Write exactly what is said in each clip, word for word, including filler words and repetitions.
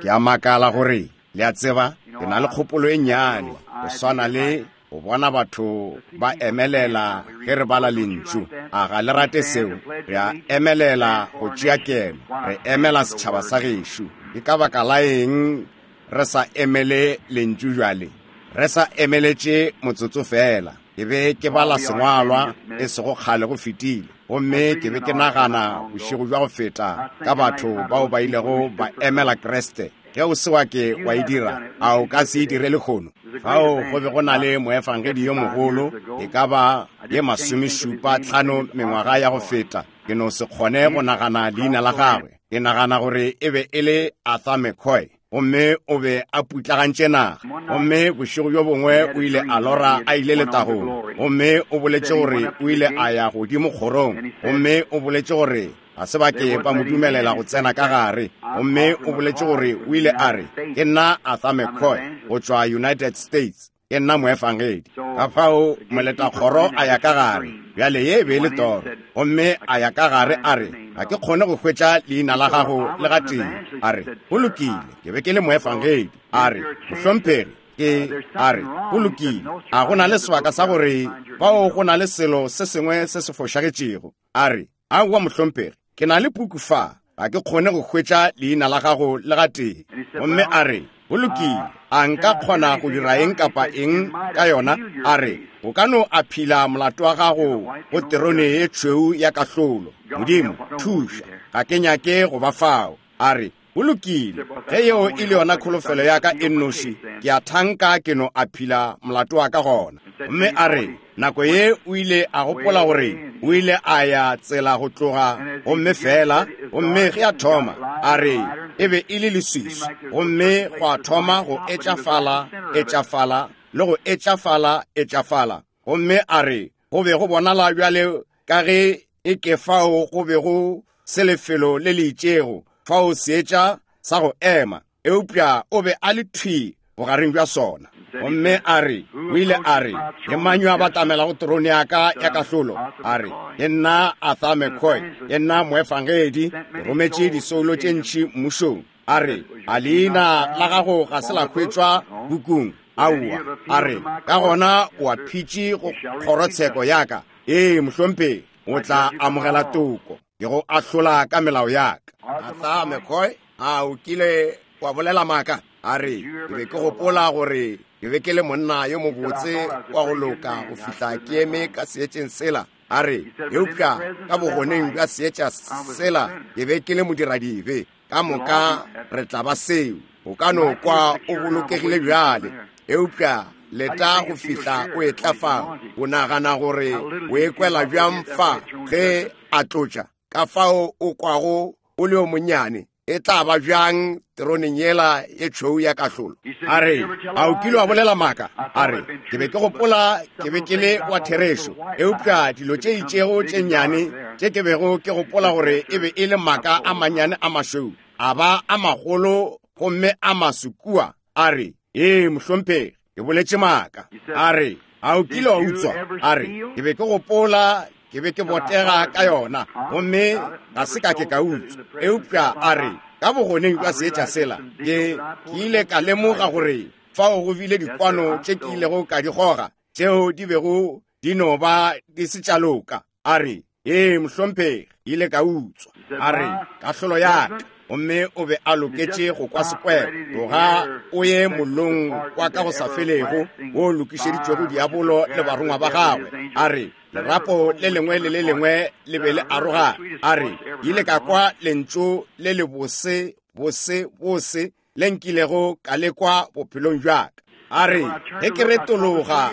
Ke a makala gore le a tseba ke na le kgopolo e nnyane go swana le go bona batho ba emelela ge re bala lentšu. A ga le rate seo? Re a emelela go tšea keno, re emela setšhaba sa gešo. Ke ka baka la eng re sa emele lentšu bjale? Re sa emeletše motsotso fela. Ke be ke bala sengwalwa e sego kgale go fetile, gomme ke be ke nagana bošego bja go feta ka batho bao ba ilego ba emela Kriste. Ge o se wa ke wa e dira, a o ka se e dire lehono? Fao go be go na le moefangedi yo mogolo, e ka ba ye masomešupa tlhano mengwaga ya go feta. Ke no se kgone go nagana leina la gagwe. Ke nagana gore e be e le Arthur McCoy, gomme o be a putlagantše naga. Gomme bošego bjo bongwe o ile a lora a ile letagong, gomme o boletše gore o ile a ya godimo kgorong, gomme o boletše gore ga se ba ke ba mo dumelela go tsena ka gare. Gomme o boletše gore o ile a re, ke nna Arthur McCoy go tšwa United States, ke nna moefangedi. Ka fao moletakgoro a ya ka gare. Bjale ye e be e le toro. Gomme a ya ka gare a re, ga ke kgone go hwetša leina la gago le gatee. A re, go lokile, ke be ke le moefangedi. A re, mohlomphegi, ke a re, go lokile, a go na le sebaka sa gore bao go na le selo se sengwe se se fošagetšego. A re, aowa mohlomphegi, ke na le puku fa, ga ke kgone go hwetša leina la gago le gatee. Gomme a re, go lokile, a nka kgona go dira eng kapa eng ka yona? A re, o ka no aphila molato wa gago go terone ye tšhweu ya kahlolo. Modimo, thuša, ga ke nyake go ba fao. A re, go lokile, ge yeo e le yona kholofelo ya ka e nnoši, ke a thanka ke no aphila molato wa ka gona. Gomme a re, nako ye o ile a gopola gore o ile a ya tsela go tloga, gomme fela, gomme ge a thoma, a re, e be e le leswiswi, gomme go a thoma go etšafala, etšafala, le go etšafala, etšafala. Gomme a re, go be go bonala bjale ka ge e ke fao go be go se lefelo le le itšego, fao seetša sa go ema, eupša o be a le thwi bogareng bja sona. Gomme a re, o ile a re, ke mang yo a batamelago terone ya ka ya kahlolo? A re, ke nna Arthur McCoy, ke nna moefangedi, ke rometše disoulo tše ntši mmušong. A re, a leina la gago ga se la hwetšwa bukung? Aowa. A re, ka gona o a phitše go kgorotsheko ya ka. Ee, mohlomphegi, o tla amogela toko, ke go ahlola ka melao ya ka. Arthur McCoy, a o kile wa bolela maaka? A re, ke be ke gopola gore ke be ke le monna yo mobotse wa go loka go fihla ke eme ka seetšeng sela. A re, eupša ka bogoneng bja seetša sela ke be ke le modiradibe. Ka moka re tla ba seo. O ka no kwa o bolokegile bjale, eupša leta go fihla o etla fao. O nagana gore o ekwela bjang fa ge a tlotša? Ka fao o kwago o le yo monnyane, e tla ba bjang teroneng yela ye tšhweu ya kahlolo? A re, a o kile wa bolela maaka? A re, ke be ke gopola ke be ke le wa therešo, eupša dilo tše itšego tše nnyane tše ke bego ke gopola gore e be e le maaka a mannyane a mašweu, a ba a magolo gomme a maso kua. A re, ee mohlomphegi, ke boletše maaka. A re, a o kile wa utswa? A re, ke be ke gopola ke be ke botega ka yona, gomme ga se ka ke ka utswa. Eupša a re, ka bogoneng bja seetša sela, ke ke ile ka lemoga gore fao go bile dikwano tše ke ilego ka di goga, tšeo di bego di no ba di se tša loka. A re, ee mohlomphegi, ile ka utswa. A re, kahlolo ya ka. Gomme o be a loketše go kwa sekwero. Tloga o ye mollong wa ka go sa felego wo lokišeditšwego diabolo le barongwa ba gagwe. A re, lerapo le lengwe le le lengwe le be le arogana. A re, ile ka kwa lentšu le le bose, bose, bose le nkilego ka le kwa bophelong bja ka. A re, ge ke retologa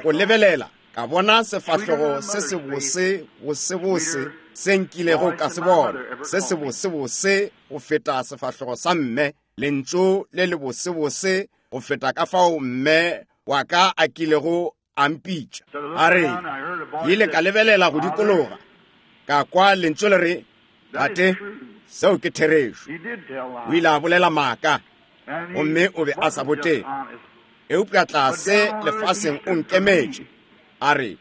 go lebelela, ka bona sefahlogo se se bose, bose, bose se nkilego ka se bona, se se bose, bose go feta sefahlogo sa mme, lentšu le le bose, bose go feta ka fao mme wa ka a kilego a mpitša. A re, ke ile ka lebelela go dikologa, ka kwa lentšu le re, tate, seo ke therešo. O ile a bolela maaka, gomme o be a sa botege, eupša tlase lefaseng o nkemetše. A re,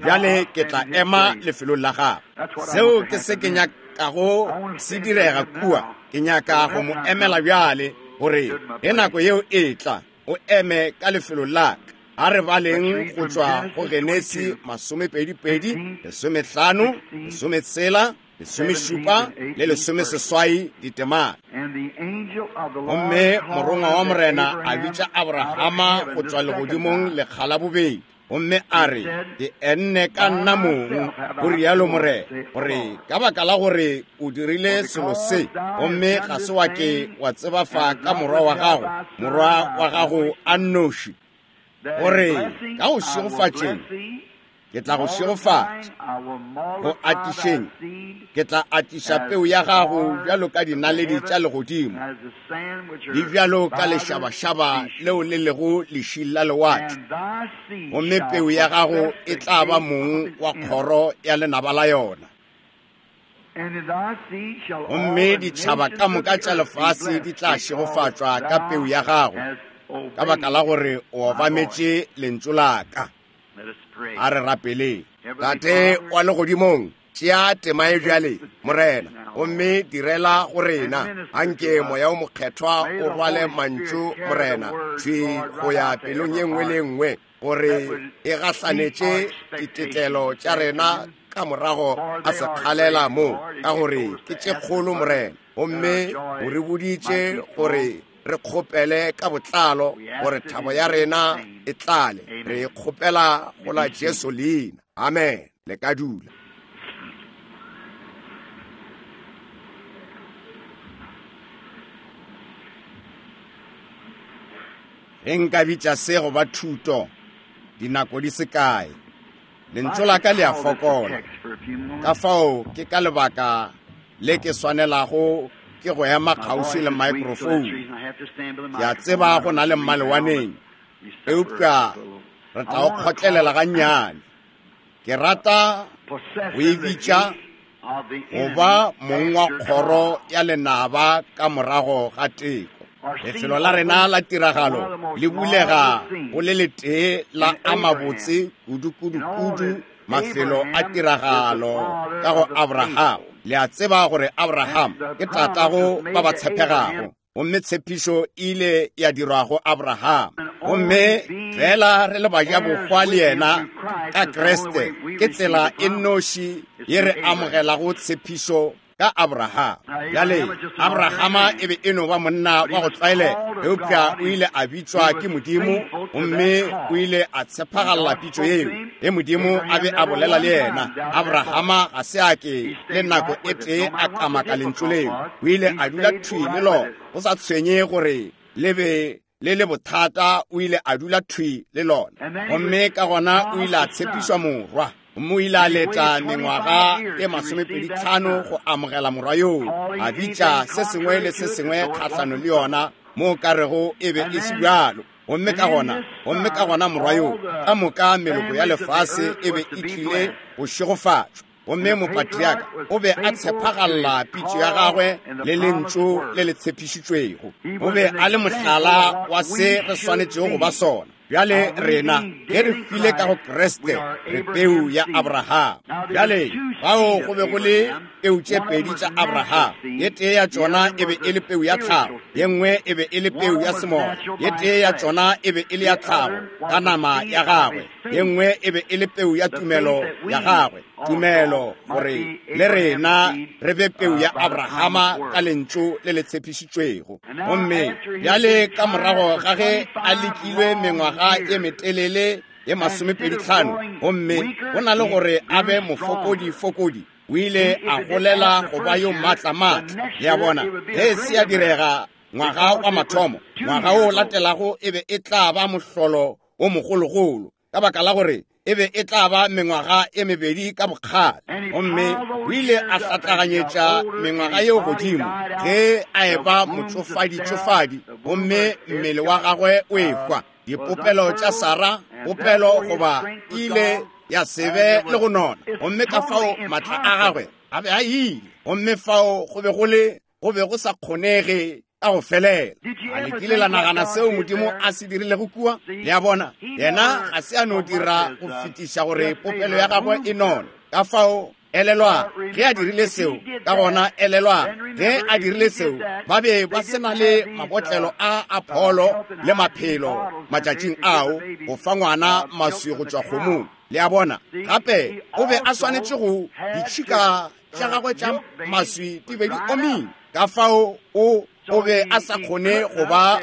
bjale ke tla ema lefelong la gagwe. Seo ke se ke kago se direga kua. Ke nyaka go mo emela bjale, gore ge nako yeo e tla, o eme ka lefelo la ka. A re baleng go tšwa go Genesi masomepedi-pedi, lesomehlano, lesometshela, lesomešupa le lesomeseswai ditemana. Gomme morongwa wa Morena a bitša Abrahama go tšwa legodimong lekga la bobedi, gomme a re, ke enne ka nna mong, go rialo Morena, gore ka baka la gore o dirile selo se, gomme ga se wa ke wa tsebafa ka morwa wa gago, morwa wa gago a nnoši, gore ka go šegofatšeng ke tla go šegofatša, go atišeng ke tla atiša peu ya gago bjalo ka dinaledi tša legodimo, le bjalo ka lešabašaba leo le lego lešing la lewatle, gomme peu ya gago e tla ba mong wa kgoro ya lenaba la yona. Gomme ditšhaba ka moka tša lefase di tla šegofatšwa ka peu ya gago, ka baka la gore o obametše lentšu la ka. A re rapeleng. Tate wa legodimong, tšea tema e bjale, Morena, gomme direla go rena. Anke Moya o Mokgethwa o rwale mantšu, Morena, thwi go ya pelong ye nngwe le nngwe, gore e gahlanetše ditetlelo tša rena ka morago a sekgalela mo, ka gore ke tše kgolo, Morena. Gomme o re boditše gore re kgopele ka botlalo gore thabo ya rena e tlale. Re kgopela go la Jesu leina. Amen. Le ka dula. Ge nka bitša se go ba thuto, dinako di se kae, lentšu la ka le a fokola. Ka fao ke ka lebaka le ke swanelago ke go ema kgauswi le microphone. Ke a tseba go na le mmalewaneng, eupša re tla o kgotlelela gannyane. Ke rata go e bitša go ba mong wa kgoro ya lenaba ka morago ga teko. Lefelo la rena la tiragalo le bulega go le letee la a mabotse kudu-kudu-kudu mafelo a tiragalo ka go Abraham. Le a tseba gore Abraham ke tatago ba ba tshepegago, gomme tshepišo ile ya dirwa go Abraham. Gomme fela re le bajabohwa le yena ka Kriste, ke tsela e nnoši ye re amogelago tshepišo ka Abraham. Bjale Abrahama e be e no ba monna wa go tlwaelega, eupša o ile a bitšwa ke Modimo, gomme o ile a tshepagalla pitšo yeo. Ge Modimo a be a bolela le yena, Abrahama ga se a ke le nako e tee a kamaka lentšu leo. O ile a dula thwi le lona, go sa tshwenye gore le be le le bothata, o ile a dula thwi le lona. Gomme ka gona o ile a tshepišwa morwa, gomme o ile a leta mengwaga e masomepedi tlhano go amogela morwa yoo, a bitša se sengwe le se sengwe kgahlano le yona mo ka rego e be e se bjalo. Gomme ka gona, gomme ka gona morwa yoo, ka moka meloko ya lefase e be e tlile go šegofatšwa. Gomme mopatriaka o be a tshepagalla pitšo ya gagwe le lentšu le le tshepišitšwego. O be a le mohlala wa se re swanetšego go ba sona. Bjale rena ge re hwile ka go Kriste, re peu ya Abraham. Bjale bao go be go le peu tše pedi tša Abraham. Ye tee ya tšona e be e le peu ya tlhago, ye nngwe e be e le peu ya semoya. Ye tee ya tšona e be e le ya tlhago ka nama ya gagwe, ye nngwe e be e le peu ya tumelo ya gagwe. Tumelo gore le rena re be peu ya Abrahama ka lentšu le le tshepišitšwego. Gomme bjale ka morago ga ge a lekilwe mengwaga e metelele ye masomepedi tlhano, gomme go na le gore a be mofokodi-fokodi, o ile a golela go ba yo maatla-maatla. Le a bona, ge se a direga ngwaga wa mathomo, ngwaga o latelago e be e tla ba mohlolo o mogologolo, ka baka la gore e be e tla ba mengwaga e mebedi ka bokgale. Gomme o ile a hlatlaganyetša mengwaga yeo godimo ge a eba motšofadi-tšofadi, gomme mmele wa gagwe o ehwa. Dipopelo tša Sara, popelo goba ile ya se be le go nona, gomme ka fao matla a gagwe a be a ile, gomme fao go be go le go be go sa kgonege ka go felela. A le kile la nagana seo Modimo a se dirilego kua? Le a bona, yena ga se a no dira go fetiša gore popelo ya gagwe e none. Ka fao Elelwa, ge a dirile seo, ka gona elelwa, ge a dirile seo, ba be ba se na le mabotlelo a Apollo le maphelo matšatšing ao go fa ngwana maswi go tšwa kgomong. Le a bona? Gape o be a swanetše go ditšhika tša gagwe tša maswi di be di omile. Ka fao o o be a sa kgone go ba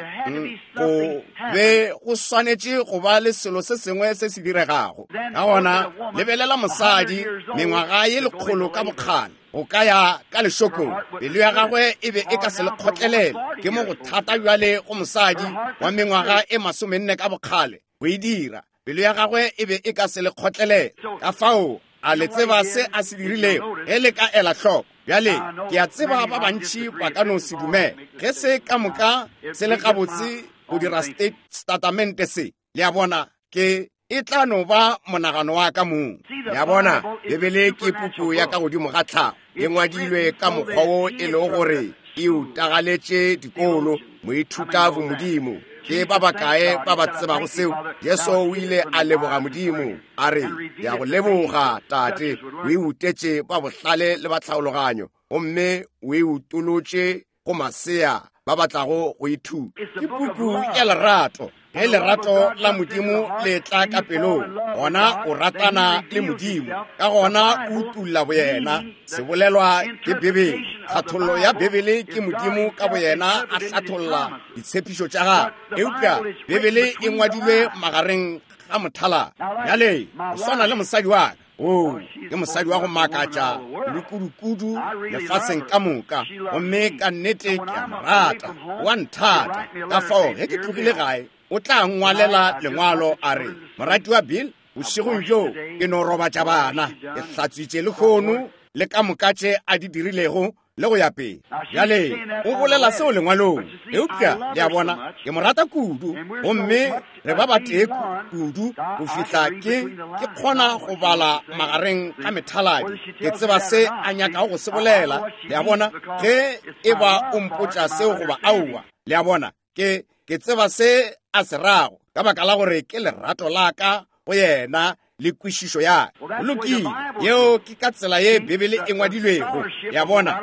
go be go swanetše go ba le selo se sengwe se se diregago. Ka gona lebelela mosadi mengwaga ye lekgolo ka bokgale go ka ya ka lešokong, pelo ya gagwe e be e ka se le kgotlelele. Ke mo go thata bjale go mosadi wa mengwaga e masomenne ka bokgale go e dira. Pelo ya gagwe e be e ka se le kgotlelele. Ka fao a le tseba se a se dirilego ge le ka ela hloko. Bjale ke a tseba ba bantši ba ka no se dumele ge se ka moka se le gabotse go dira statamente se. Le a bona, ke e tla no ba monagano wa ka mong. Le a bona, Bibele ke puku ya ka godimo ga tlhago, e ngwadilwe ka mokgwa wo e lego gore e utagaletše dikolo moithuta bomodimo. Ke ba bakae ba ba tsebago seo? Jesu o ile a leboga Modimo, a re, ke a go leboga Tate, o e utetše ba bohlale le ba tlhaologanyo, gomme o e utolotše go masea ba batlago go ithuta. Ke puku ya lerato. Ge lerato la Modimo le tla ka pelong, gona o ratana le Modimo, ka gona o utulla boyena. Se bolelwa ke Bibele. Tlhathollo ya Bibele ke Modimo ka boyena a hlatholla ditshepišo tša gagwe. Eupša Bibele e ngwadilwe magareng ga mothala. Bjale o swana le mosadi wa ka. O ke mosadi wa go makatša le kudu-kudu lefaseng ka moka, gomme ka nnete ke a mo rata, wa nthata. Ka fao ge ke tlogile gae, o tla ngwalela lengwalo a re, morati wa Bill, bošegong bjo ke no robatša bana, ke hlatswitše lehono le ka moka tše a di dirilego le go ya pele. Bjale o bolela seo lengwalong, eupša le a bona, ke mo rata kudu, gomme re ba batee kudu go fihla ke ke kgona go bala magareng ga methaladi. Ke tseba se a nyakago go se bolela. Le a bona, ge e ba o mpotša seo goba aowa, le a bona, ke ke tseba se a se rago, ka baka la gore ke lerato la ka go yena le kwešišo ya ka. Lokile, yeo ke ka tsela ye Bibele e ngwadilwego. Ya bona,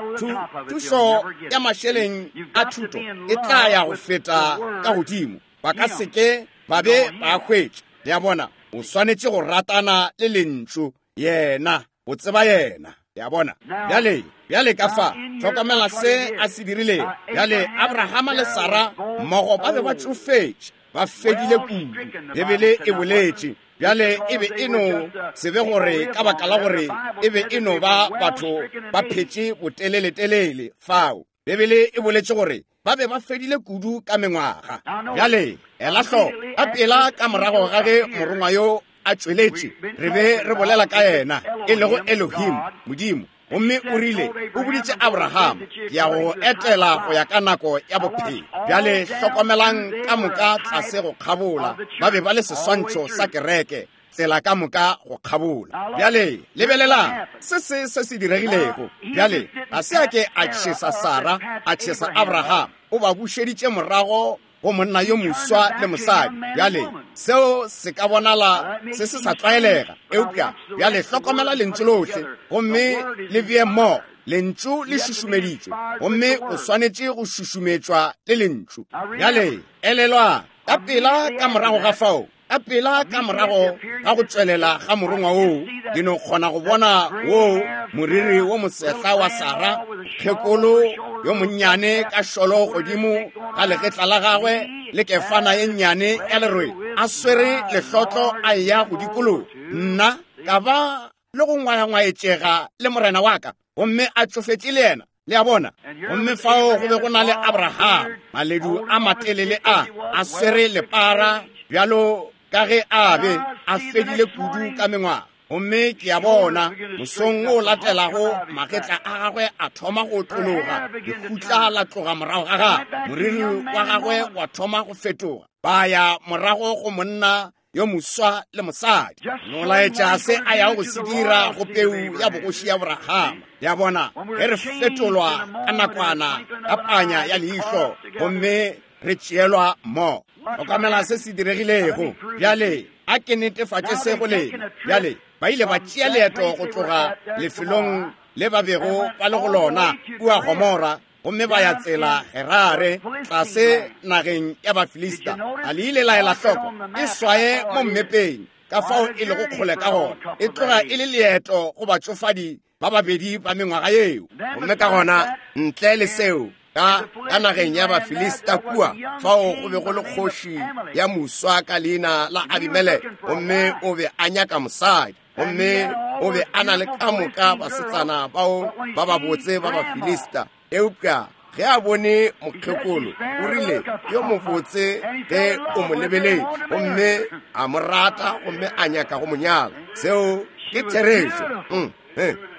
thušo ya mašeleng a thuto e tla ya go feta ka godimo, ba ka se ke ba be ba hwetša. Ya bona, o swanetše go ratana le lentšu, yena, o tseba yena. Ya bona, bjale bjale ka fa hlokomela se a se dirilego. Bjale Abrahama le Sara mmogo ba be ba tšofetše, ba fedile kudu. Bibele e boletše. Bjale e be e no se be gore ka baka la gore e be e no ba batho ba phetše boteleletelele fao. Bibele e boletše gore ba be ba fedile kudu ka mengwaga. Bjale ela hloko, ka pela ka morago ga ge morongwa yo a tšweletše, re be re bolela ka yena, e lego Elohim, Modimo. Gomme o rile, o boditše Abraham, ke ya go etela go ya ka nako ya bophelo. Bjale hlokomelang ka moka tlase go kgabola, ba be ba le seswantšho sa kereke, tsela ka moka go kgabola. Bjale lebelelang se se se se diregilego. Bjale ga se a ke a tšhesa Sara, a tšhesa Abraham, o ba bušeditše morago go monna yo moswa le mosadi. Bjale seo se ka bonala se se sa tlwaelega, eupša bjale hlokomela lentšu lohle gomme le bee mmogo. Lentšu le šušumeditšwe, gomme o swanetše go šušumetšwa le lentšu. Bjale elelwa, ka pela ka morago ga fao, ka pela ka morago ga go tšwelela ga morongwa woo, ke no kgona go bona woo moriri wo mosehla wa Sara, phekolo yo monnyane ka šolo godimo ga legetla la gagwe le kefana ye nnyane ya lerwe, a swere lehlotlo a eya go dikologa. Nna ka ba le go ngwayangwaetšega le morena wa ka, gomme a tšofetše le yena. Le a bona? Gomme fao go be go na le Abraham, maledu a matelele a a swere lepara bjalo ka ge a be a fedile kudu ka mengwaga. Gomme ke a bona mosong o latelago magetla a gagwe a thoma go tlologa, lehutla la tloga morago ga gagwe, moriri wa gagwe wa thoma go fetoga. Ba ya morago go monna yo moswa le mosadi, no laetša se a yago go se dira go peu ya bogoši ya Abrahama. Ya bona, ge re fetolwa ka nakwana ka panya ya leihlo, gomme re tšeelwa mmogo. Hlokomela se se diregilego. Bjale A ke netefatše se go lena. Bjale ba ile ba tšea leeto go tloga lefelong le ba bego ba le go lona kua Gomora, gomme ba ya tsela Gerare tlase nageng ya Bafilista. A le ile la ela hloko? E swaye mo mmepeng ka fao e lego kgole ka gona. E tloga e le leeto go batšofadi ba babedi ba mengwaga yeo. Gomme ka gona ntle le seo, ka ka nageng ya Bafilista kua, fao go be go le kgoši ya moswa ka leina la Abimeleke, gomme o be a nyaka mosadi, gomme o be a na le ka moka basetsana bao ba babotse ba Bafilista. Eupša ge a bone mokgekolo, o rile yo mobotse ge o mo lebeletše, gomme a mo rata, gomme a nyaka go mo nyala. Seo ke therešo. Mm,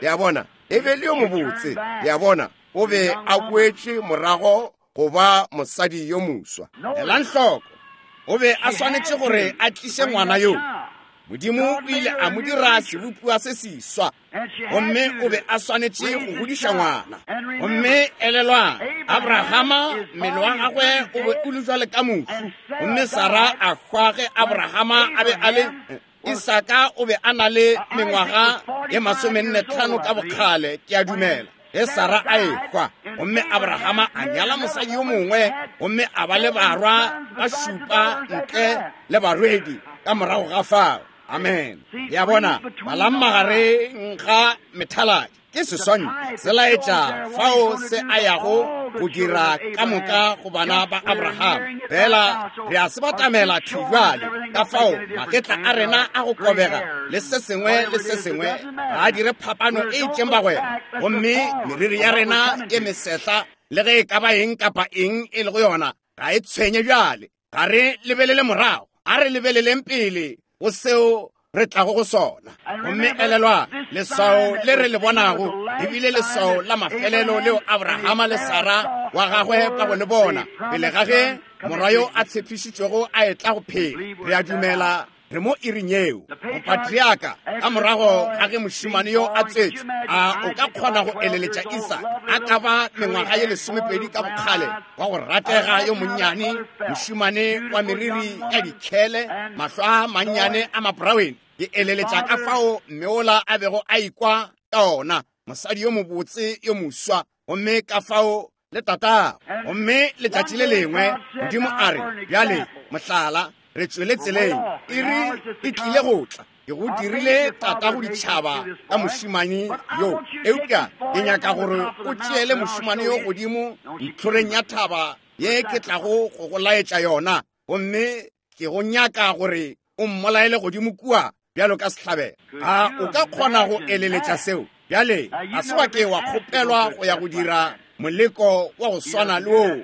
le a bona, e be le yo mobotse, le a bona, o be a boetše morago go ba mosadi yo moswa. Elang hloko, o be a swanetše gore a tliše ngwana yo. Modimo o ile a mo dira sebopiwa se seswa, gomme o be a swanetše go godiša ngwana. Gomme elelwang, Abrahama mmele wa gagwe o be o le jwale ka mohu, gomme Sara a hwa ge Abrahama a be a le Isaka o be a na le mengwaga ye masomenne tlhano ka bokgale, ke a dumela, ge Sara a ehwa. Gomme Abrahama a nyala mosadi yo mongwe, gomme a ba le barwa ba šupa ntle le barwedi ka morago ga fao. Amen. Le a bona, balang magareng ga methaladi ke seswantšho se laetša fao se a yago go dira ka moka go bana ba Abraham. Fela re a se batamela thwi bjale, ka fao magetla a rena a go kobega le se sengwe le se sengwe ga a dire phapano e itšeng bagwera, gomme meriri ya rena e mesehla le ge e ka ba eng kapa eng e lego yona ga e tshwenye bjale. Ga re lebelele morago, a re lebeleleng pele go seo re tlago go sona. Gomme elelwa, leswao le re le bonago ebile leswao la mafelelo leo Abrahama le Sara wa gagwe ba go le bona pele ga ge morwa yo a tshepišitšwego a etla go phela. Re a dumela re mo iring yeo. Mopatriaka ka morago ga ge mošemane yo a tswetšwe, a o ka kgona go eleletša Isaka a ka ba mengwaga ye lesomepedi ka bokgale, wa go ratega yo monnyane, mošemane wa meriri ya dikhele, mahlo a mannyane a mabraweni. Ke eleletša ka fao mmeola a bego a ikwa ka ona, mosadi yo mobotse yo moswa, gomme ka fao le tatago. Gomme letšatši le lengwe Modimo a re, bjale mohlala, re tšwele tseleng, iri e tlile go tla. Ke go dirile tata go ditšhaba ka mošemane yo, eupša ke nyaka gore o tšeele mošemane yo godimo ntlhoreng ya thaba ye ke tlago go go laetša yona, gomme ke go nyaka gore o mmolaele godimo kua bjalo ka sehlabelo. A o ka kgona go eleletša seo? Bjale ga se wa ke wa kgopelwa go ya go dira moleko wa go swana le woo.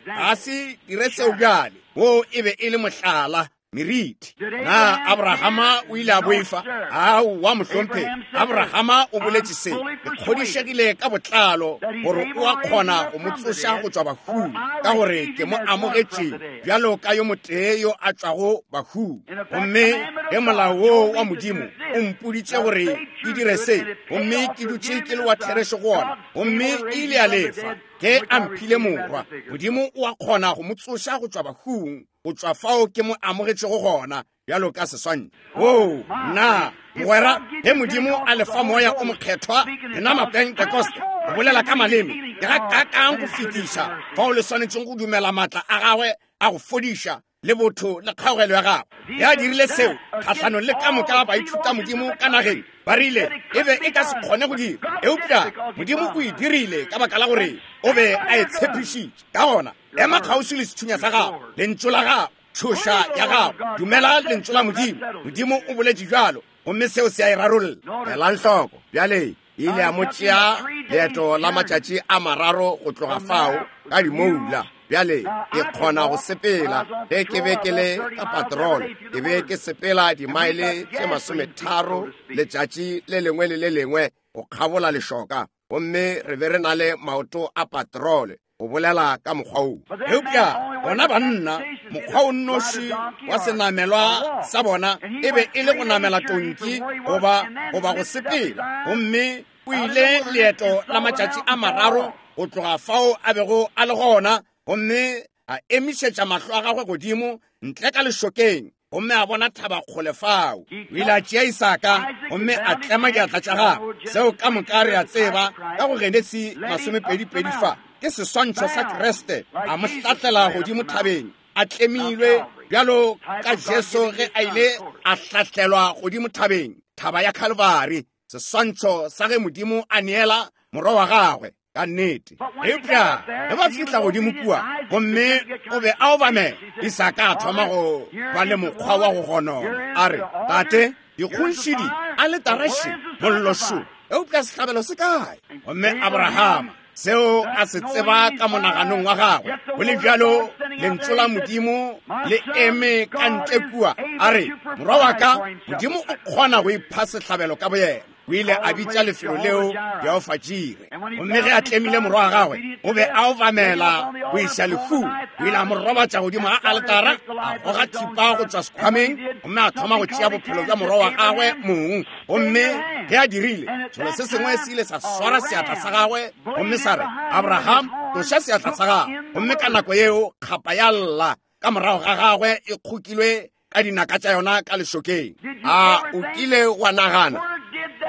Ga se dire seo bjale. Wo e be e le mohlala, meriti. Na Abrahama o ile a boifa? Aowa mohlomphegi. Abrahama o boletše se, ke kgodišegile ka botlalo gore o a kgona go mo tsoša go tšwa bahung, ka gore ke mo amogetše bjalo ka yo motee yo a tšwago bahung. Gomme ge molao woo wa Modimo o mpoditše gore ke dire se, gomme ke dutše ke le wa therešo go ona, gomme e ile a lefa ge a mphile morwa, Modimo o a kgona go mo tsoša go tšwa bahung, go tšwa fao ke mo amogetšego gona bjalo ka seswantšho. Oo, nna mogwera, ge Modimo a lefa moya o mokgethwa lena Mapentekoste go bolela ka maleme, ke ga kakang go fetiša fao le swanetšeng go dumela maatla a gagwe a go fodiša le botho le kgaogelo ya gagwe. Ge a dirile seo kgahlanong le ka moka baithuta Modimo ka nageng, ba rile e be e ka se kgone go dira, eupša Modimo o e dirile ka baka la gore o be a e tshepišitše. Ka gona ema kgauswi le sethunya sa gago, lentšu la gago, tšhoša ya gago, dumela lentšu la Modimo. Modimo o boletše bjalo, gomme seo se a e rarolla. Elang hloko bjale, e ile a mo tšea leeto la matšatši a mararo go tloga fao ka dimoula. Bjale ke kgona go sepela. Ge ke be ke le ka patrol, ke be ke sepela dimaele tše masometharo letšatši le lengwe le le lengwe go kgabola lešoka, gomme re be re na le maoto a patrole go bolela ka mokgwa wo. Eupša bona banna, mokgwa o nnoši wa senamelwa sa bona e be e le go namela tonki goba goba go sepela, gomme o ile leeto la matšatši a mararo go tloga fao a bego a le gona, gomme a emišetša mahlo a gagwe godimo ntle ka lešokeng, gomme a bona thaba kgole fao. O ile a tšea Isaka gomme a tlema diatla tša gagwe. Seo ka moka re a tseba ka go Genesi masomepedi-pedi fa ke seswantšho sa Kriste a mo hlahlela godimo thabeng, a tlemilwe bjalo ka Jesu ge a ile a hlahlelwa godimo thabeng, thaba ya Calvary, seswantšho sa ge Modimo a neela morwa wa gagwe. Ka nnete. Eupša ge ba fihla godimo kua gomme o be a obamela, Isaka a thoma go ba le mokgwa wa go gonona. A re, tate, dikgonšidi aletara še, mollo šo, eupša sehlabelo se kae? Gomme Abrahama seo a se tseba ka monaganong wa gagwe, go le bjalo lentšu la Modimo le eme ka ntle kua. A re, morwa wa ka, Modimo o kgona go ipha sehlabelo ka boyena. O ile a bitša lefelo leo Jehofa Jire. Gomme ge a tlemile morwa wa gagwe, o be a obamela go iša lehung. O ile a mo robatša godimo ga aletara, a goga thipa go tšwa sekhwameng, gomme a thoma go tšea bophelo bja morwa wa gagwe mong. Gomme ge a dirile, selo se sengwe se ile sa swara seatla sa gagwe gomme sa re, Abraham, tloša seatla sa gagwe. Gomme ka nako yeo kgapa ya lla ka morago ga gagwe e kgokilwe ka dinaka tša yona ka lešokeng. A o kile wa nagana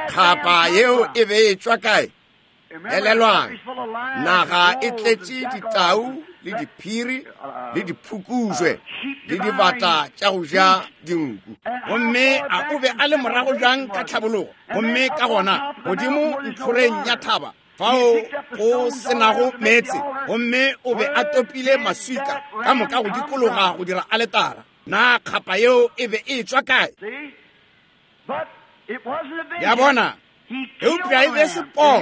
kgapa yeo e be e tšwa kae? Elelwang, naga e tletše ditau le diphiri le diphukujwe le dibata tša go ja dinku. Gomme a o be a le morago bjang ka tlhabologo? Gomme ka gona godimo ntlhoreng ya thaba fao go senago meetse, gomme o be a topile maswika ka moka go dikologa go dira aletara. Na kgapa yeo e be e tšwa kae? Ya bona, eupša e be se poo.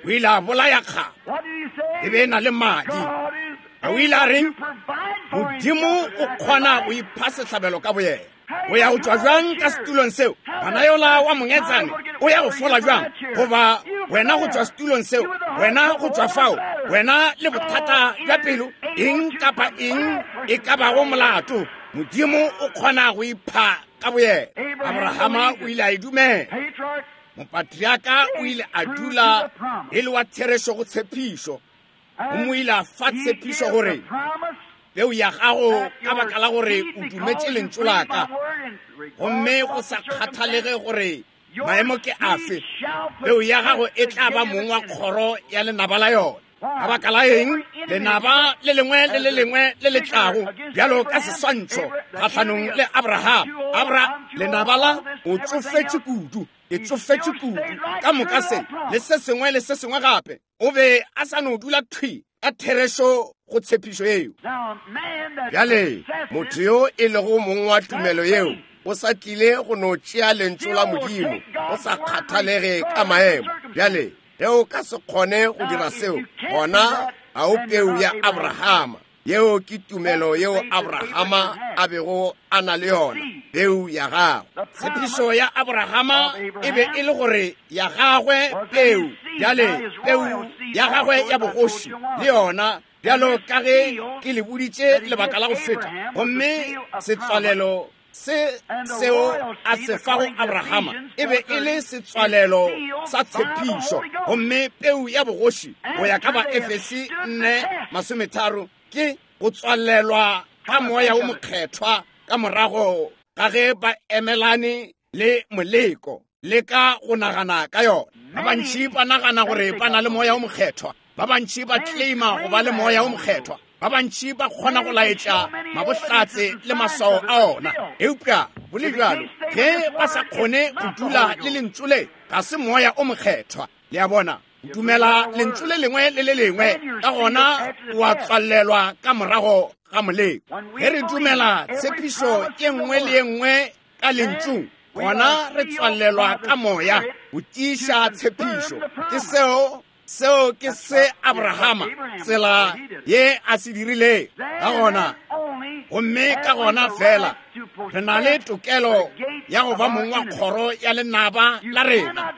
O ile a bolaya kgapa, e be e na le madi. A o ile a reng? Modimo o kgona go ipha sehlabelo ka boyena. O ya go tšwa bjang ka setulong seo? Ngwana yola wa mongetsane o ya go fola bjang? Goba wena go tšwa setulong seo, wena go tšwa fao, wena le bothata bja pelo, eng kapa eng e ka bago molato, Modimo o kgona go ipha ka boyena. Abrahama o ile a e dumela. Mopatriaka o ile a dula e le wa therešo go tshepišo. Gomme o ile a fa tshepišo gore peu ya gago ka baka la gore o dumetše lentšu la ka, gomme go sa kgathalege gore maemo ke afe, peu ya gago e tla ba mong wa kgoro ya lenaba la yona. Ka baka la eng? Lenaba le lengwe le le lengwe le le tlago bjalo ka seswantšho kgahlanong le Abraham. Abra, lenaba la o tsofetše kudu, e tsofetše kudu, ka moka se le se sengwe le se sengwe gape. O be a sa no dula thwi ka therešo go tshepišo yeo. Bjale motho yo e lego mong wa tumelo yeo o sa tlile go no tšea lentšu la Modimo go sa kgathalege ka maemo. Bjale ge o ka se kgone go dira seo, gona ga o peu ya Abrahama. Yeo ke tumelo yeo Abrahama a bego a na le yona, peu ya gagwe. Tshepišo ya Abrahama e be e le gore ya gagwe peu, bjale peu ya gagwe ya bogoši le yona, bjalo ka ge ke le boditše lebaka la go feta. Gomme setswalelo se seo a se fago Abrahama e be e le setswalelo sa tshepišo. Gomme peu ya bogoši go ya ka ba Efesi nne masometharo ke go tswalelwa ka moya o mokgethwa ka morago ga ge ba emelane le moleko le ka go nagana ka yona. Ba bantši ba nagana gore ba na le moya o mokgethwa, ba bantši ba claima go ba le moya o mokgethwa, ba bantši ba kgona go laetša mabohlatse le maswao a ona. Eupša go le bjalo, ge ba sa kgone go dula le lentšu le, ga se moya o mokgethwa. Le a bona, dumela lentšu le lengwe le le lengwe, ka gona wa tswalelwa ka morago ga moleko. Ge re dumela tshepišo ye nngwe le ye nngwe ka lentšung, gona re tswalelwa ka moya go tiiša tshepišo. Ke seo seo ke se Abrahama tsela ye a se dirilego. Ka gona, gomme ka gona fela re na le tokelo ya go ba mong wa kgoro ya lenaba la rena.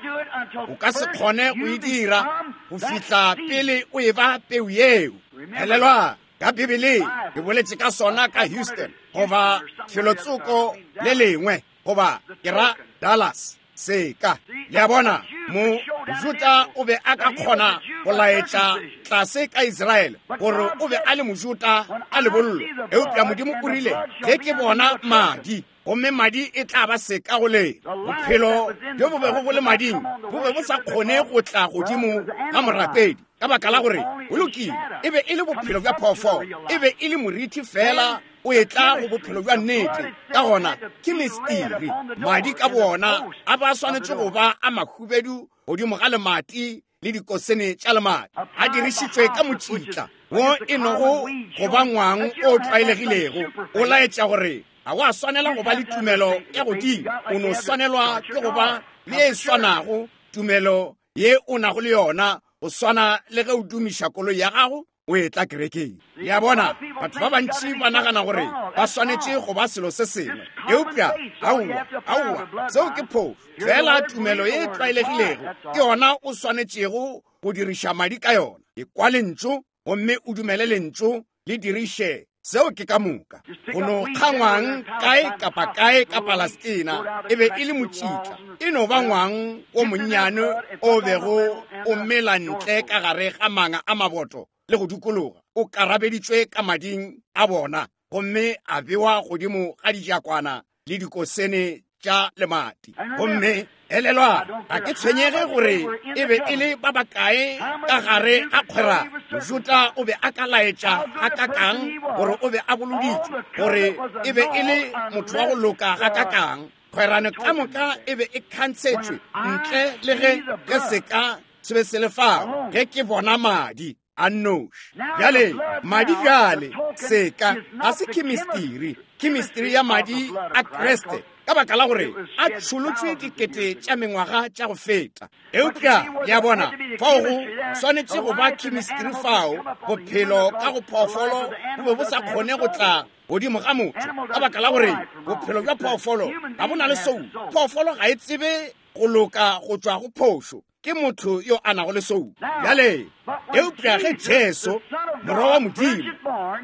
O ka se kgone go e dira go fihla pele o e ba peu yeo. Elelwa ka Bibeleng, ke boletše ka sona ka Houston goba felotsoko le lengwe, goba ke ra Dallas. Seka. Le a bona, Mojuta o be a ka kgona go laetša tlase ka Israele gore o be a le Mojuta a lebollo. Eupša Modimo o rile, ge ke bona madi, gomme madi e tla ba seka go lena. Bophelo bjo bo bego bo le mading bo be bo sa kgone go tla godimo ga morapedi, ka baka la gore go lokile, e be e le bophelo bja phoofolo, e be e le morithi fela o etla go bophelo bja nnete. Ka gona ke mistiri, madi ka bona a ba swanetše go ba a mahubedu godimo ga lemati le dikosene tša lemati, a dirišitšwe ka motšitla wo e nogo go ba ngwang o tlwaelegilego, o laetša gore ga wa swanela go ba le tumelo ya godimo, o no swanelwa ke go ba le e swanago tumelo ye o nago le yona, go swana le ge o dumiša koloi ya gago o etla kerekeng. Le a bona, batho ba bantši ba nagana gore ba swanetše go ba selo se sengwe, eupša aowa, aowa, seo ke phošo. Fela tumelo ye e tlwaelegilego ke yona o swanetšego go diriša madi ka yona. Ekwa lentšu gomme o dumele lentšu, le diriše. Seo ke ka moka. Go no kgangwang kae kapa kae ka Palestina e be e le motšitla, e no ba ngwang o monnyane o bego o mela ntle ka gare ga manga a maboto le go dikologa, o karabeditšwe ka mading a bona gomme a bewa godimo ga dijakwana le dikosene tša lemati. Gomme elelwa, ga ke tshwenyege gore e be e le ba bakae ka gare ga kgwera. Mojuta o be a ka laetša gakakang gore o be a boloditšwe, gore e be e le motho wa go loka gakakang. Kgwerano ka moka e be e khantshetšwe ntle le ge ge seka se be se le fao, ge ke bona madi a nnoši. Bjale madi bjale seka ga se chemistry, chemistry ya madi a Kriste, ka baka la gore a tšholotšwe dikete tša mengwaga tša go feta. Eupša le a bona, fao go swanetše go ba chemistry fao bophelo ka go phoofolo bo be bo sa kgone go tla godimo ga motho, ka baka la gore bophelo bja phoofolo ga bo na le soul. Phoofolo ga e tsebe go loka go tšwa go phošo, ke motho yo a nago le soul. Bjale eupša ge Jesu morwa wa Modimo,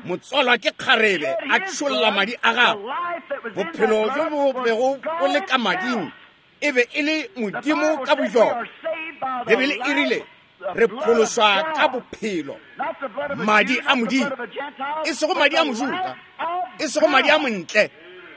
motswalwa ke kgarebe, a tšholla madi a gagwe, bophelo bjo bo bego bo le ka mading e be e le Modimo ka bojona. Bibele e rile re phološwa ka bophelo, madi a Modimo, e sego madi a Mojuda, e sego madi a montle,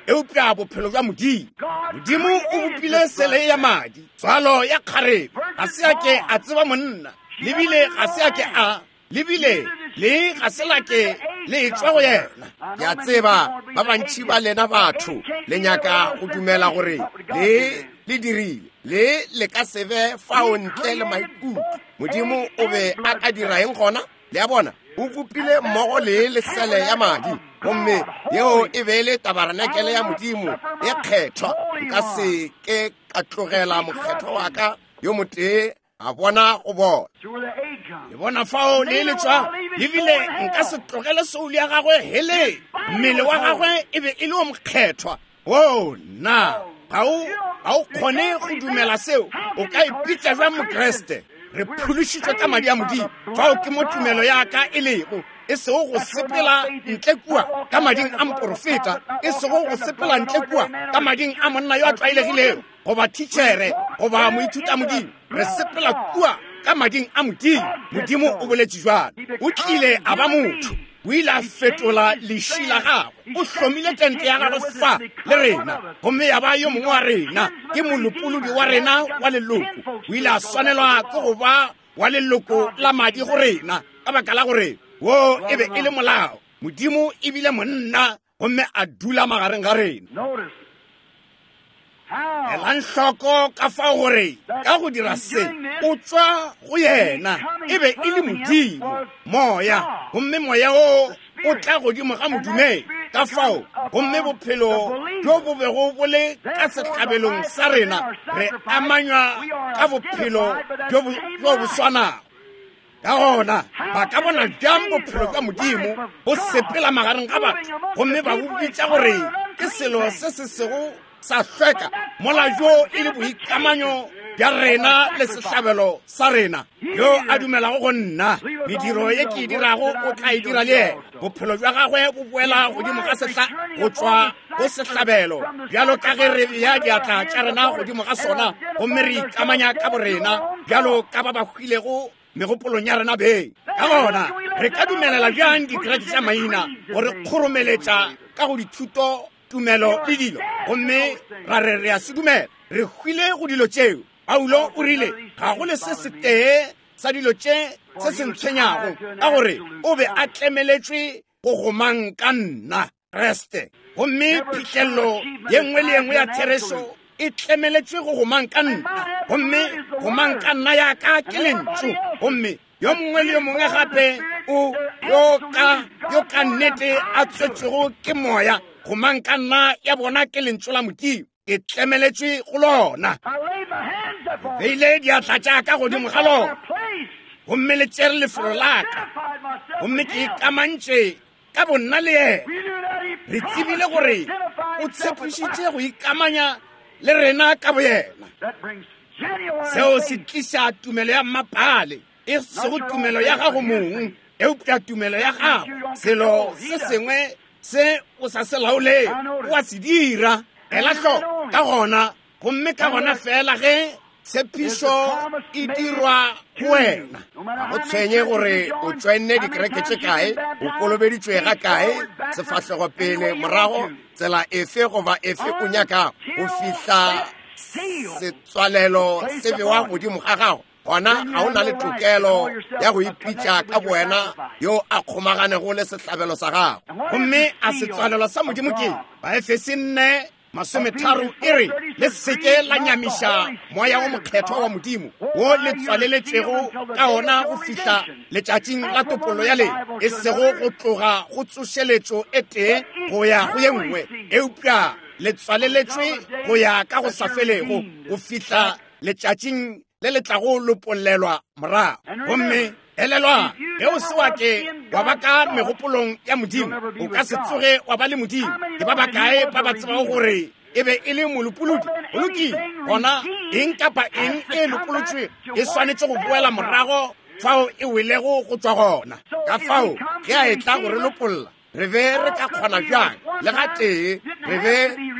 eupša bophelo bja Modimo. Modimo o bopile sele ya madi, tswalo ya kgarebe. Ga se a ke a tseba monna, lebile ga se a ke a lebile le ga se la ke le tšwa go yena. Ke a tseba ba bantši ba lena batho le nyaka go dumela gore le le dirile le le ka se be fao ntle le maikutlo. Modimo o be a ka dira eng gona? Le a bona, o bopile mmogo le lesele ya madi, gomme yeo e be e le tabarenakele ya Modimo e kgethwa. Nka se ke ka tlogela mokgethwa wa ka yo motee a bona go bona. Le bona fao le le tšwa, ebile nka se tlogele soul ya gagwe heleng. Mmele wa gagwe e be e le o mokgethwa. O na ga o ga o kgone go dumela seo, o ka ipitša bjang Mokriste? Re phološitšwe ka madi a Modimo. Fao ke mo tumelo ya ka e lego, e sego go sepela ntle kua ka mading a moporofeta, e sego go sepela ntle kua ka mading a monna yo a tlwaelegilego, goba thitšhere, goba moithuta Modimo. Re sepela kua ka mading a Modimo. Modimo o boletše jwalo. O tlile a ba motho, o ile a fetola leši la gagwe, o hlomile tente ya gagwe fa le rena, gomme ya ba yo mongwe wa rena, ke molopolodi wa rena wa leloko. O ile a swanelwa ke go ba wa leloko la madi go rena, ka baka la gore wo e be e le molao. Modimo e bile monna gomme a dula magareng ga rena. Elang hloko ka fao gore ka go dira se o tšwa go yena, e be e le Modimo moya, gomme moya o o tla godimo ga modumedi. Ka fao gomme bophelo bjo bo bego bo le ka sehlabelong sa rena, re amanywa ka bophelo bjo bo swanago. Ka gona ba ka bona bjang bophelo bja Modimo bo sepela magareng ga batho, gomme ba bo bitša gore ke selo se se sego sa hlweka, mola bjo e le boikamanyo bja rena le sehlabelo sa rena. Yo a dumelago go nna, mediro ye ke e dirago o tla e dira le yena. Bophelo bja gagwe bo boela godimo ga sehla go tšwa go sehlabelo, bjalo ka ge re bea diatla tša rena godimo ga sona gomme re ikamanya ka borena bjalo ka ba ba hwilego megopolong ya rena beng. Ka gona re ka dumelela bjang dikereke tša maina gore kgoromeletša ka go dithuto, tumelo le dilo, gomme ra re re a se dumela? Re hwile go dilo tšeo. Paulo o rile ga go le se setee sa dilo tše se se ntshwenyago, ka gore o be a tlemeletšwe go gomang ka nna Kriste. Gomme phihlello ye nngwe le ye nngwe ya therešo e tlemeletšwe go gomang ka nna, gomme gomang ka nna ya ka ke lentšu. Gomme yo mongwe le yo mongwe gape o yo ka yo ka nnete a tswetšwego ke moya, gomang ka nna ya bona ke lentšu la Modimo, e tlemeletšwe go lona. Beile diatla tša ka godimo ga lona, gomme le tšere lefelo la ka, gomme ke ikamantše ka bonna le yena. Re tsebile gore o tshepišitše go ikamanya le rena ka boyena. Seo se tliša tumelo ya mmapale, e sego tumelo ya gago mong, eupša tumelo ya gago. Selo se sengwe se o sa se laoleng o a se dira. Ela hloko ka gona, gomme ka gona fela ge tshepišo e dirwa go wena. Ga go tshwenye gore o tšoenne dikereke tše kae, o kolobeditšwe ga kae, sefahlego pele morago, tsela efe goba efe o nyakago, go fihla setswalelo se bewa godimo ga gago, gona ga o na le tokelo ya go ipitša ka bowena yo a kgomaganego le sehlabelo sa gago. Gomme a setswalelo sa Modimo ke Baefese nne masometharo e re, le seke la nyamiša moya wo mokgethwa wa Modimo wo le tswaleletšego ka ona go fihla letšatšing la topollo ya lena, e sego go tloga go tsošeletšo e tee go ya go ye nngwe, eupša le tswaleletšwe go ya ka go sa felego go fihla letšatšing le le tlago lopollelwa morago. Gomme elelwa, ge o se wa ke wa ba ka megopolong ya Modimo, o ka se tsoge wa ba le Modimo. Ke ba bakae ba ba tsebago gore e be e le molopolodi? Go lokile. Gona eng kapa eng e lopolotšwe e swanetše go boela morago fao e welego go tšwa gona. Ka fao ge a etla go re lopolla, re be re ka kgona bjang le ga tee re be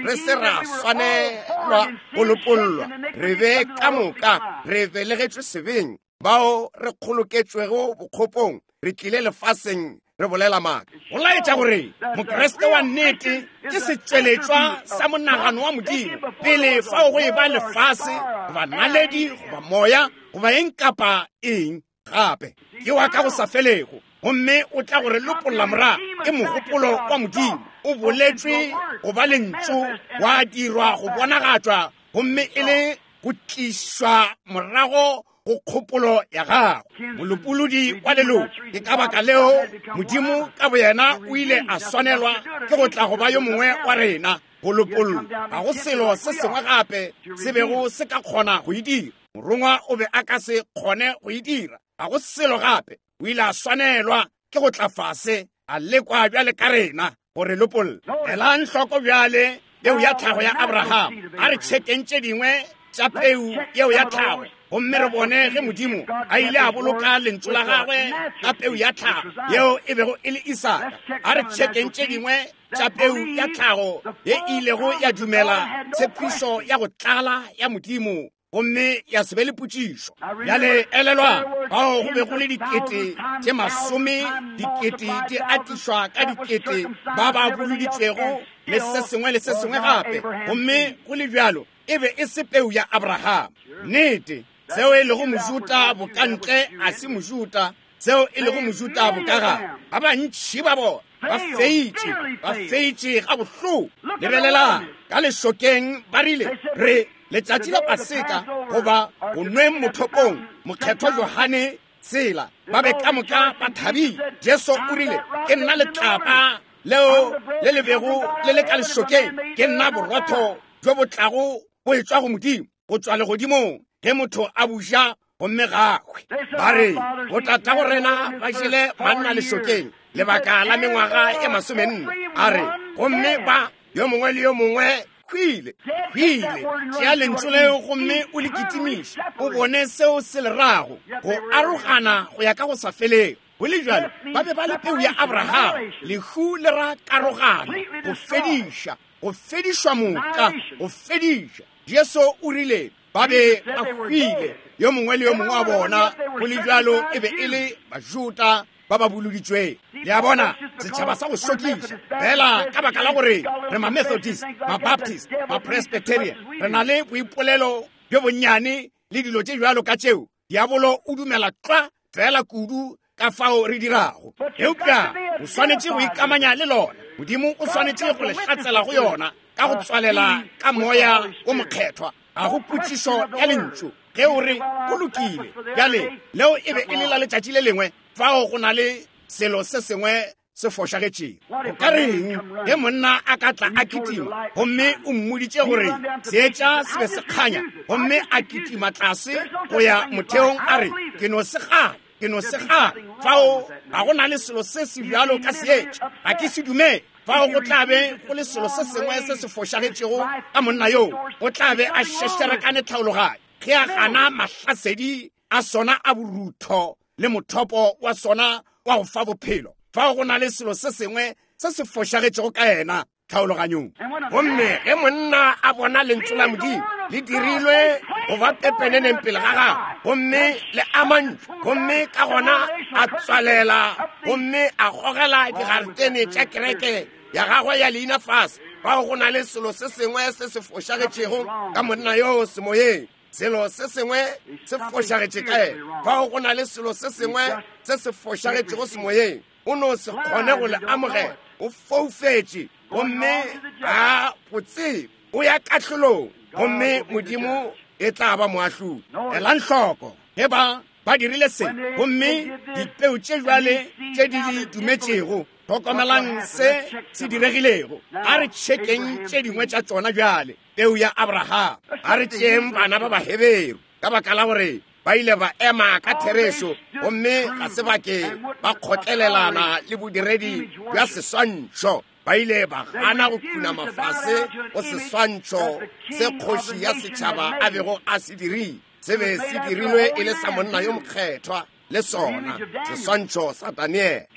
re se ra swanelwa go lopollwa? Re be ka moka re belegetšwe sebeng, bao re kgoloketšwego bokgopong, re tlile lefaseng re bolela maaka. Go laetša gore Mokriste wa nnete ke setšweletšwa sa monagano wa Modimo pele fao go e ba lefase goba naledi goba moya goba eng kapa eng gape. Ke wa ka go sa felego, gomme o tla gore lopolla morago. Ke mogopolo wa Modimo o boletšwe go ba lentšu, wa dirwa go bonagatšwa, gomme e le go tlišwa morago go kgopolo ya gago. Molopolodi wa leloko. Ke ka baka leo Modimo ka boyena o ile a swanelwa ke go tla go ba yo mongwe wa rena go lopollwa. Ga go selo se sengwe gape se bego se ka kgona go e dira. Morongwa o be a ka se kgone go e dira. Ga go selo gape. O ile a swanelwa ke go tla fase a lekwa bjale ka rena gore lopolla. Elang hloko bjale peu ya tlhago ya Abraham. A re tšhekeng tše dingwe tša peu yeo ya tlhago, gomme re bone ge Modimo a ile a boloka lentšu la gagwe ka peu ya tlhago yeo e bego e le Isaka. A re tšhekeng tše dingwe tša peu ya tlhago ye e ilego ya dumela tshepišo ya go tlala ya Modimo, gomme ya se be le potšišo. Bjale elelwa, bao go be go le dikete tše masome, dikete di atišwa ka dikete ba ba boloditšwego le se sengwe le se sengwe gape, gomme go le bjalo e be e se peu ya Abraham. Nnete, seo e lego Mojuta bokantle a se Mojuta, seo e lego Mojuta bokagare. Ba bantši ba bona ba feitše, ba feitše ga bohloko. Lebelelang ka lešokeng, ba rile re letšatši la Paseka goba go nweng mothopong mokgethwa Johane tsela, ba be ka moka ba thabile. Jesu o rile, ke nna letlapa leo le le bego le le ka lešokeng, ke nna borotho bjo bo tlago bo etšwa go Modimo go tšwa legodimong, ge motho a buša gomme gagwe. Ba re botatago rena ba jele manna lešokeng lebaka la mengwaga e masomenne. A re gomme ba yo mongwe le yo mongwe hwile, hwile. Tšea lentšu leo gomme o le kitimiše, o bone seo se le rago, go arogana go ya ka go sa felego. Go le bjalo, ba be ba le peu ya Abraham. Lehu le ra karogano, go fediša, go fedišwa moka, go fediša. Jesu o rile ba be ba hwile, yo mongwe le yo mongwe wa bona. Go le bjalo e be e le Bajuda ba ba boloditšweng. Le a bona, setšhaba sa go šokiša fela ka baka la gore re ma-Methodist, ma-Baptist, ma-Presbyterian, re na le boipolelo bjo bonnyane le dilo tše bjalo ka tšeo. Diabolo o dumela tlwa fela kudu ka fao re dirago, eupša o swanetše go ikamanya le lona. Modimo o swanetše go le hlatsela go yona ka go tswalela ka moya o mokgethwa. Ga go potšišo ya lentšu ge o re go lokile. Bjale leo e be e le la letšatši le lengwe, fao go na le selo se sengwe se fošagetšego. O ka reng ge monna a ka tla a kitima gomme o mmoditše gore seetša se be se kganya, gomme a kitima tlase go ya motheong a re, ke no se gana, ke no se gana, fao ga go na le selo se se bjalo ka seetša, ga ke se dumele. Fao go tla be go le selo se sengwe se se fošagetšego ka monna yoo, o tla be a šešerekane tlhaologanyo ge a gana mahlasedi a sona a borutho le mothopo wa sona wa go fa bophelo. Fao go na le selo se sengwe se se fošagetšego ka yena tlhaologanyong. Gomme ge monna a bona lentšu la Modimo le dirilwe go ba pepeneneng pele ga gagwe, gomme le amantšwe, gomme ka gona a tswalela gomme a gogela digaretene tša kereke ya gagwe ya leina fase, fao go na le selo se sengwe se se fošagetšego ka monna yoo semoyeng. Selo se sengwe se fošagetše ka yena. Fao go na le selo se sengwe se se fošagetšego semoyeng. O no se kgone go le amogela, o foufetše gomme ga go tsebe. O ya kahlolong, gomme Modimo e tla ba moahlodi. Elang hloko ge ba ba dirile se, gomme dipeu tše jwale tše di di dumetšego, hlokomelang se se diregilego. A re tšhekeng tše dingwe tša tšona bjale. Peu ya Abraham, a re tšeeng bana ba Baheberu, ka baka la gore ba ile ba ema ka therešo gomme ga se ba ke ba kgotlelelana le bodiredi bja seswantšho. Ba ile ba gana go khunama fase go seswantšho se kgoši ya setšhaba a bego a se dirile. Se be se dirilwe e le sa monna yo mokgethwa, le sona seswantšho sa Daniele,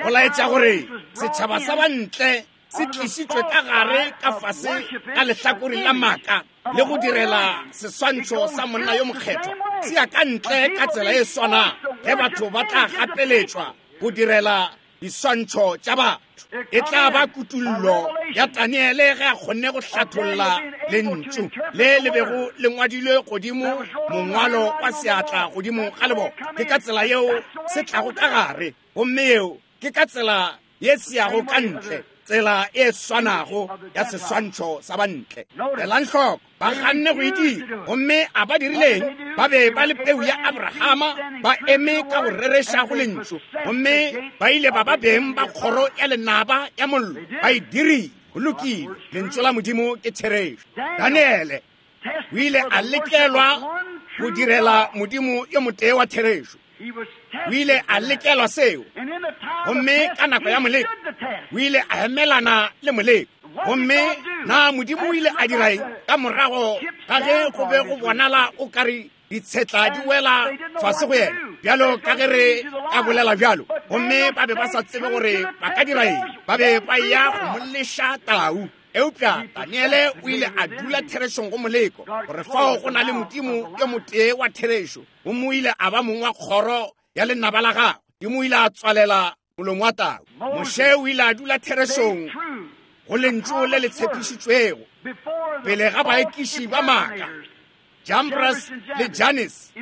go laetša gore setšhaba sa bantle se tlišitšwe ka gare ka fase ka lehlakoreng la maaka le go direla seswantšho sa monna yo mokgethwa. Se ya ka ntle ka tsela e swana ge batho ba tla gapeletšwa go direla diswantšho tša batho. E tla ba kutullo ya Daniele ge a kgonne go hlatholla lentšu le le bego le ngwadilwe godimo mongwalo wa seatla godimo ga lebota. Ke ka tsela yeo se tlago ka gare, gomme yeo ke ka tsela ye se yago ka ntle, tsela e swanago ya seswantšho sa bantle. Elang hloko, ba ganne go e dira, gomme a ba dirileng? Ba be ba le peu ya Abrahama, ba eme ka go rereša go lentšu, gomme ba ile ba ba beng ba kgoro ya lenaba ya mollo. Ba e dirile. Go lokile, lentšu la Modimo ke therešo. Daniele o ile a lekelwa go direla Modimo yo motee wa therešo. O ile a lekelwa seo, gomme ka nako ya moleko o ile a emelana le moleko. Gomme na Modimo o ile a dira eng ka morago ga ge go be go bonala o kare ditshetla di wela fase go yena, bjalo ka ge re ka bolela bjalo, gomme ba be ba sa tsebe gore ba ka dira eng, ba be ba ya go mo leša tau. Eupša Daniele o ile a dula therešong go moleko, gore fao go na le Modimo yo motee wa therešo, gomme o ile a ba mong wa kgoro ya lenaba la gagwe. Modimo o ile a tswalela molomo wa tau. Moshe o ile a dula therešong go lentšu le le tshepišitšwego pele ga baekiši ba maaka, Jambres le Jannes,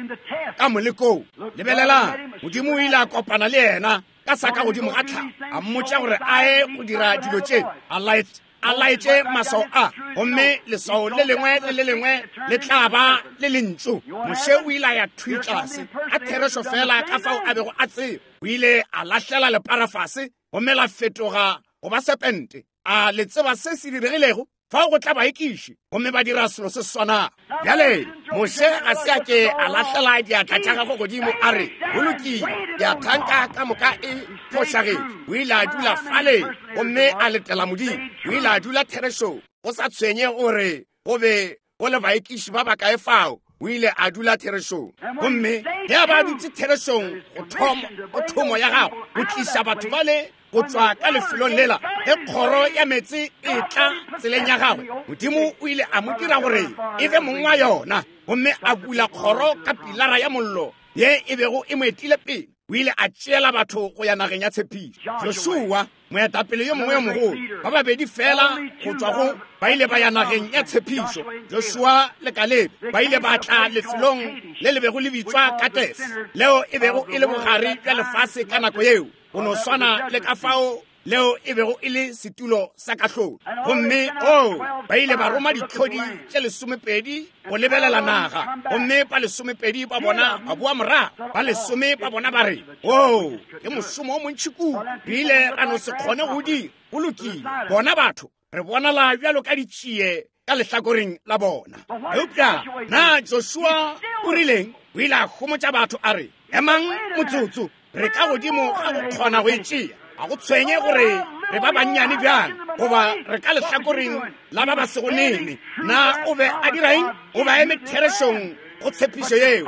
ka molekong. Lebelelang, Modimo o ile a kopana le yena ka sa ka godimo ga tlhago, a mmotša gore a ye go dira dilo tše, a laetša a laetše maswao a, gomme leswao le lengwe le le lengwe le tla ba le lentšu. Moshe o ile a ya thwi tlase a therešo fela ka fao a bego a tseba. O ile a lahlela lepara fase gomme la fetoga go ba serpente. A le tseba se se diregilego? Fao go tla baekiši gomme ba dira selo se swanago. Bjale Moshe ga se a ke a lahlela diatla tša gagwe godimo a re, go lokile, ke a thanka ka moka e fošagetše. O ile a dula fale gomme a letela Modimo. O ile a dula therešong. Go sa tshwenye gore go be go le baekiši ba bakae fao, o ile a dula therešong. Gomme ge a ba dutse therešong go thoma go thomo ya gagwe, go tliša batho bale go tšwa ka lefelong lela, ge kgoro ya meetse e tla tseleng ya gagwe, Modimo o ile a mo dira gore e be mong wa yona, gomme a bula kgoro ka pilara ya mollo ye e bego e mo etile pele. O ile a tšeela batho go ya nageng ya tshepišo. Joshua, moetapele yo mongwe yo mogolo, ba babedi fela go tšwa go ba ile ba ya nageng ya tshepišo, Joshua le Kalebe, ba ile ba tla lefelong le le bego le bitswa Kates, leo e bego e le bogare bja lefase ka nako yeo, go no swana le ka fao leo e bego e le setulo sa kahlolo. Gomme o ba ile ba roma ditlhodi tše lesomepedi go lebelela naga, gomme ba lesomepedi ba bona ba boa morago. Ba lesome ba bona ba re, o ke mošomo o montši kudu, re ile ra no se kgone go dira. Go lokile, bona batho re bonala bjalo ka ditšie ka lehlakoreng la bona. Eupša na Joshua o rileng? O ile a homotša batho a re, emang motsotso, re ka godimo ga go kgona go e tšea. A go tshwenye gore re ba bannyane bjang, goba re ka lehlakoreng la ba ba sego nene. Na o be a dira eng? O ba eme therešong go tshepišo yeo.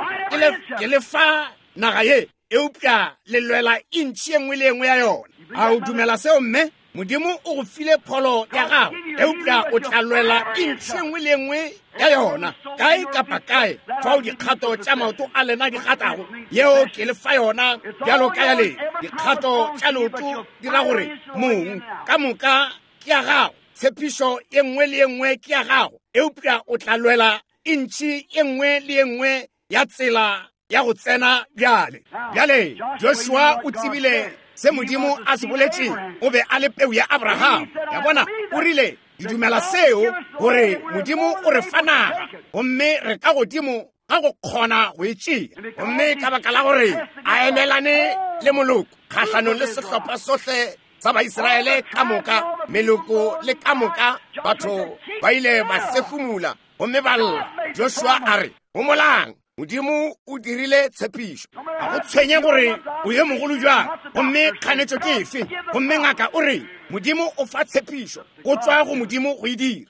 Ke le fa naga ye, eupša le lwela intšhi ye nngwe le ye nngwe ya yona. A o dumela seo, mme? Modimo o go file pholo ya gago, eupša o tla lwela intšhi ye nngwe le ye nngwe ya yona. Kae kapa kae fao dikgato tša maoto a lena di gatago, yeo ke le fa yona bjalo ka ya lena. Dikgato tša leoto di ra gore mong ka moka ke ya gago, tshepišo ye nngwe le ye nngwe ke ya gago, eupša o tla lwela intšhi ye nngwe le ye nngwe ya tsela ya go tsena bjale. Bjale Joshua o tsebile se Modimo a se boletšeng. O be a le peu ya Abraham. Ya bona, o rile, ke dumela seo, gore Modimo o re fa naga, gomme re ka godimo ga go kgona go e tšea. Gomme ka baka la gore a emelane le moloko kgahlanong le sehlopha sohle sa Baisraele ka moka, meloko le ka moka, batho ba ile ba sefumula gomme ba lla. Joshua a re, homolang, Modimo o dirile tshepišo. A go tshwenye gore o ye mogolo jwang, gomme kganetšo ke efe, gomme ngaka o re Modimo o fa tshepišo, go tšwa go Modimo go e dira.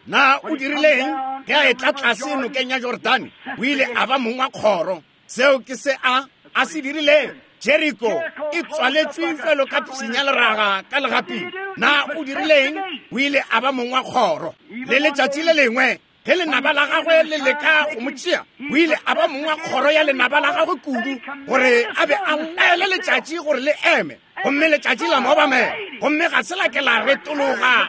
Na o dirileng ge a etla tlase nokeng ya Jordane? O ile a ba mong wa kgoro. Seo ke se a a se dirileng. Jericho e tswaletšwe bjalo ka pshinya leraga ka legaping. Na o dirileng? O ile a ba mong wa kgoro. Le letšatši le lengwe ge lenaba la gagwe le leka go mo tšea, o ile a ba mong wa kgoro ya lenaba la gagwe kudu gore a be a laele letšatši gore le eme, gomme letšatši la mo obamela, gomme ga se la ke la retologa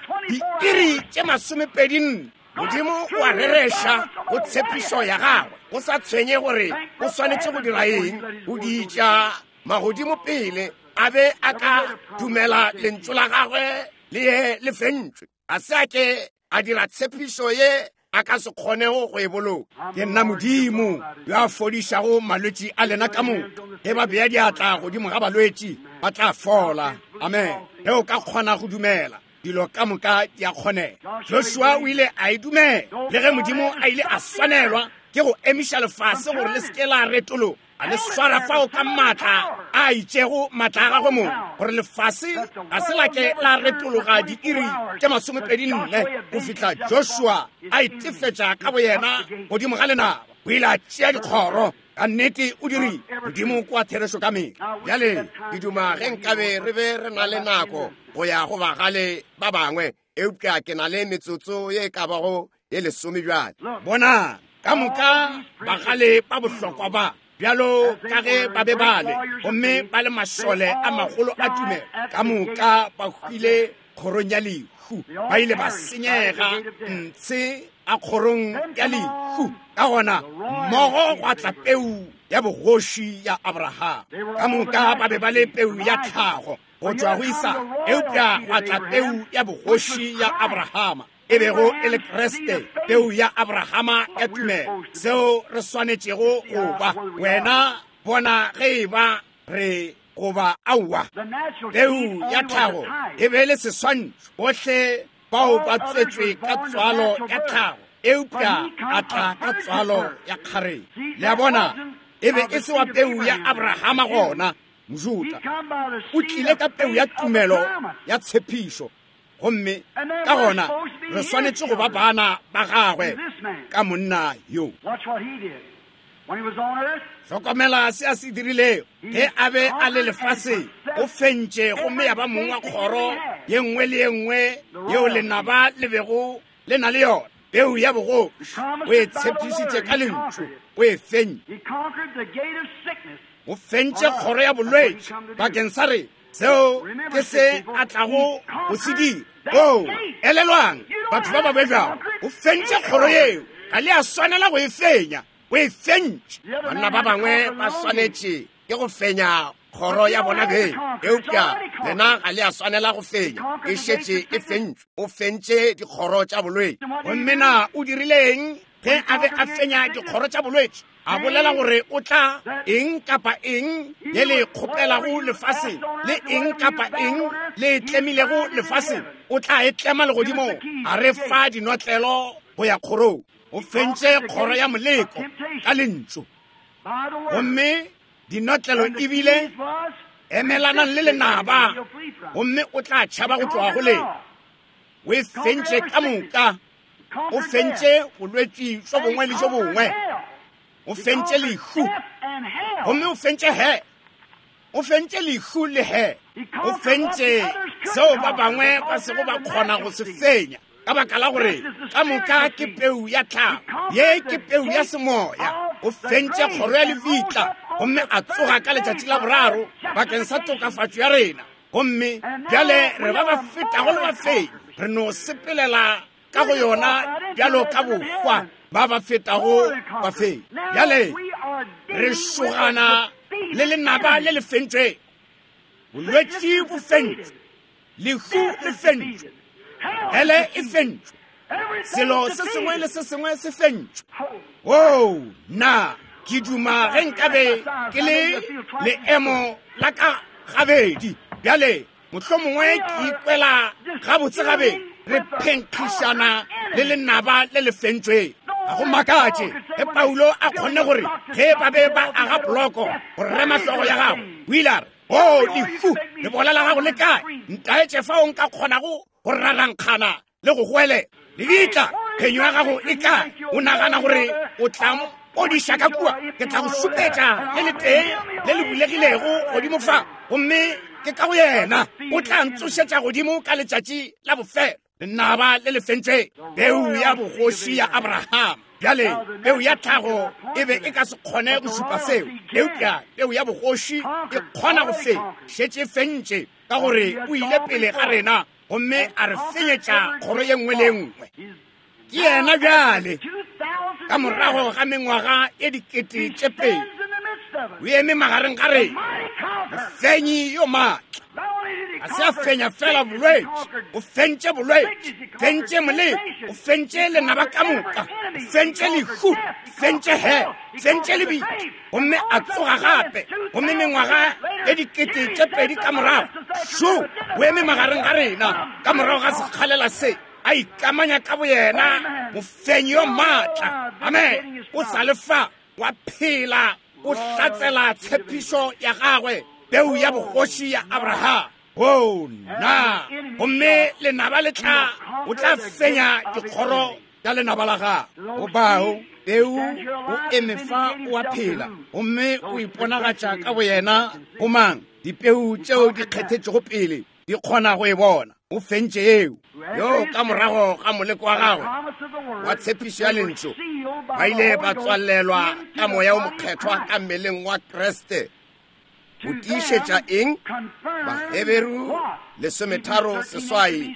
diiri tše masomepedi nne. Modimo o a rereša go tshepišo ya gagwe, go sa tshwenye gore o swanetše go dira eng, go ditša magodimo pele a be a ka dumela lentšu la gagwe le ye le fentšwe. A se a ke a dira tshepišo ye a ka se kgonego go e boloka. Ke nna Modimo yo a fodišago malwetši a lena ka moka. Ge ba bea diatla godimo ga balwetši, ba tla fola. Amen. Ge o ka kgona go dumela, dilo ka moka di a kgonega. Joshua o ile a e dumela, le ge Modimo a ile a swanelwa ke go emiša lefase gore le se ke la retologa, a le swara fao ka maatla a itšego, maatla a gagwe mong, gore lefase ga se la ke la retologa diiri tše masomepedi nne go fihla Joshua a itefetša ka boyena godimo ga lenaba. O ile a tšea dikgoro. Ka nnete o dirile. Modimo kwa therešo ka mehla. Bjale ke duma ge nkabe re be re na le nako go ya go bagale ba bangwe, eupša ke na le metsotso ye e ka bago ye lesome bjale. Bona ka moka bagale ba bohlokwa ba, bjalo ka ge ba be ba le, gomme ba le mašole a magolo a tumelo, ka moka ba hwile kgorong ya lehu. Ba ile ba senyega ntshe a kgorong ya lehu. Ka gona mmogo gwa tla peu ya bogoši ya Abraham. Ka moka ba be ba le peu ya tlhago go tšwa go Isaka, eupša gwa tla peu ya bogoši ya Abrahama, e bego e le Kriste, peu ya Abrahama ya tumelo. Seo re swanetšego go ba. Wena bona ge e ba re goba aowa. Peu ya tlhago e be le seswantšho, bohle bao ba tswetšwe ka tswalo ya tlhago, eupša a tla ka tswalo ya kgareng. Le a bona, e be e se wa peu ya Abrahama gona, Mojuda. O tlile ka peu ya tumelo ya tshepišo. Gomme ka gona re swanetše go ba bana ba gagwe ka monna yo. Hlokomela se a se dirilego ge a be a le lefaseng. O fentše gomme ya ba mong wa kgoro ye nngwe le ye nngwe yeo lenaba le bego le na le yona. Peu ya bogoši o e tshepišitše ka lentšu, o e fentše. O fentše kgoro ya bolwetši bakeng sa re. Seo ke se a tlago go se dira. O elelwang batho ba ba bebjago, o fentše kgoro yeo. Ga le a swanela go e fenya, o e fentše. Banna ba bangwe ba swanetše ke go fenya kgoro ya bona beng, eupša lena ga le a swanela go fenya, e šetše e fentšwe. O fentše dikgoro tša bolwetši. Gomme na o dirileng ge a be a fenya dikgoro tša bolwetši? A bolela gore o tla eng kapa eng ye le kgopelago lefaseng, le eng kapa eng le tlemilego lefaseng, o tla e tlema legodimong. A re fa dinotlelo go ya kgorong. O fentše kgoro ya moleko ka lentšu. Gomme dinotlelo ebile emelanang le lenaba, gomme o tla tšhaba go tloga go lena. O e fentše ka moka. O fentše bolwetši bjo bongwe le bjo bongwe. O fentše lehu, gomme o fentše he. O fentše lehu le he. O fentše seo ba bangwe ba sego ba kgona go se fenya, ka baka la gore ka moka ke peu ya tlhago, ye ke peu ya semoya. O fentše kgoro ya lefitla, gomme a tsoga ka letšatši la boraro bakeng sa tokafatšo ya rena. Gomme bjale re ba ba fetago le bafenyi, re no sepelela ka go yona bjalo ka bohwa ba ba fetago bafenyi. Bjale re šogana le lenaba le le fentšwego. Bolwetši bo fentšwe, lehu le fentšwe, hele e fentšwe, selo se sengwe le se sengwe se fentšwe. Oo, nna ke duma ge nkabe ke le leemo la ka gabedi. Bjale mohlomongwe ke ikwela gabotse gabedi. Re phenkgišana le lenaba le le fentšwego. Ga go makatše ge Paulo a kgonne gore ge ba be ba aga poloko go rema hlogo ya gagwe, o ile a re, o lehu, lebola la gago le kae? Ntaetše fao nka kgonago go rarankgana le go goelela. Lebitla, phenyo ya gago e kae? O nagana gore o tla mpodiša ka kua? Ke tla go šupetša le letee le le bulegilego godimo fa, gomme ke ka go yena. O tla ntsošetša godimo ka letšatši la bofelo. Lenaba le le fentšwe, peu ya bogoši ya Abraham. Bjale peu ya tlhago e be e ka se kgone go šupa seo, eupša peu ya bogoši e kgona go fenya. Šetše fentše ka gore o ile pele ga rena gomme a re fenyetša kgoro ye nngwe le ye nngwe. Ke yena bjale ka morago ga mengwaga e dikete tše pedi o eme magareng ga rena, mofenyi yo maatla. Ga se a fenya fela bolwetši, o fentše bolwetši, fentše moleko, o fentše lenaba ka moka, o fentše lehu, fentše he, fentše lebitla, gomme a tsoga gape. Gomme mengwaga e dikete tše pedi ka morago, šo o eme magareng ga rena ka morago ga sekgalela se, a ikamanya ka boyena, mofenyi yo maatla. Amen. O sa le fa, wa phela, o hlatsela tshepišo ya gagwe, peu ya bogoši ya Abraham. O nna, gomme lenaba le tla, o tla fenya dikgoro tša lenaba la gagwe. Go bao peu o eme fa, o a phela, gomme o iponagatša ka boyena go mang? Dipeu tšeo di kgethetšego pele di kgona go e bona. O fentše eo yo ka morago ga moleko wa gagwe wa tshepišo ya lentšu, ba ile ba tswalelwa ka moya o mokgethwa ka mmeleng wa Kriste. Go tiišetša eng? Baheberu lesometharo seswai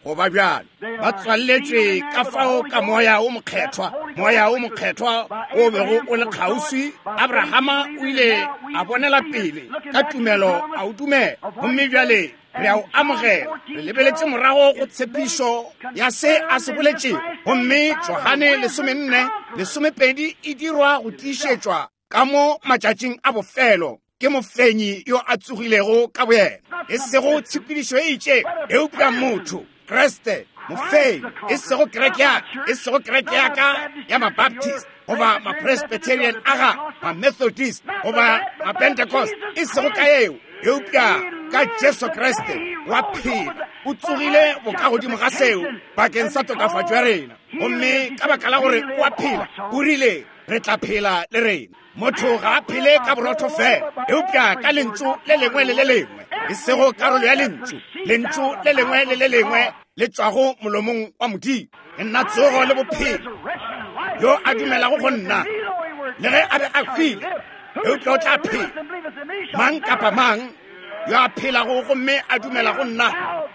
go ba bjalo. Ba tswalletšwe ka fao ka moya o mokgethwa, moya o mokgethwa o bego o le kgauswi. Abrahama o ile a bonela pele ka tumelo, a o dumela, gomme bjale re a o amogela. Re lebeletše morago go tshepišo ya se a se boletšego, gomme Johane lesomenne lesomepedi e dirwa go tiišetšwa ka mo matšatšing a bofelo ke mofenyi yo a tsogilego ka boyena. E sego tshepedišo e itšego, eupša motho Kriste mofenyi, e sego kereke ya ka, e sego kereke ya ka ya Mabaptist goba Mapresbyterian a ga Mamethodist goba Mapentecost, e sego ka eo, eupša ka Jesu Kriste wa phela, O tsogile bokagodimo ga seo bakeng sa tokafatšo ya rena. Gomme ka baka la gore o a phela, o rile re tla phela le rena. Motho ga a phele ka borotho fela, eupša ka lentšu le lengwe le le lengwe, e sego karolo ya lentšu, lentšu le lengwe le le lengwe le tšwago molomong wa Modimo. Ke nna tsogo le bophelo. Yo a dumelago go nna, le ge a be a hwile, eupša o tla phela. Mang kapa mang yo a phelago gomme a dumela go nna,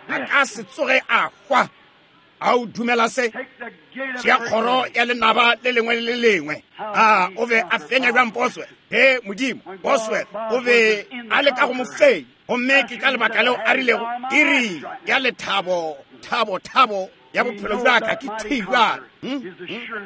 a ka se tsoge a hwa. A o dumela se? Tšea kgoro ya lenaba le lengwe le le lengwe. A o be a fenya bjang Bosworth? Ge Modimo, Bosworth o be a leka go mo fenya, gomme ke ka lebaka leo a rilego iri ya lethabo, thabo, thabo ya bophelo bja ka ke thwi bjale.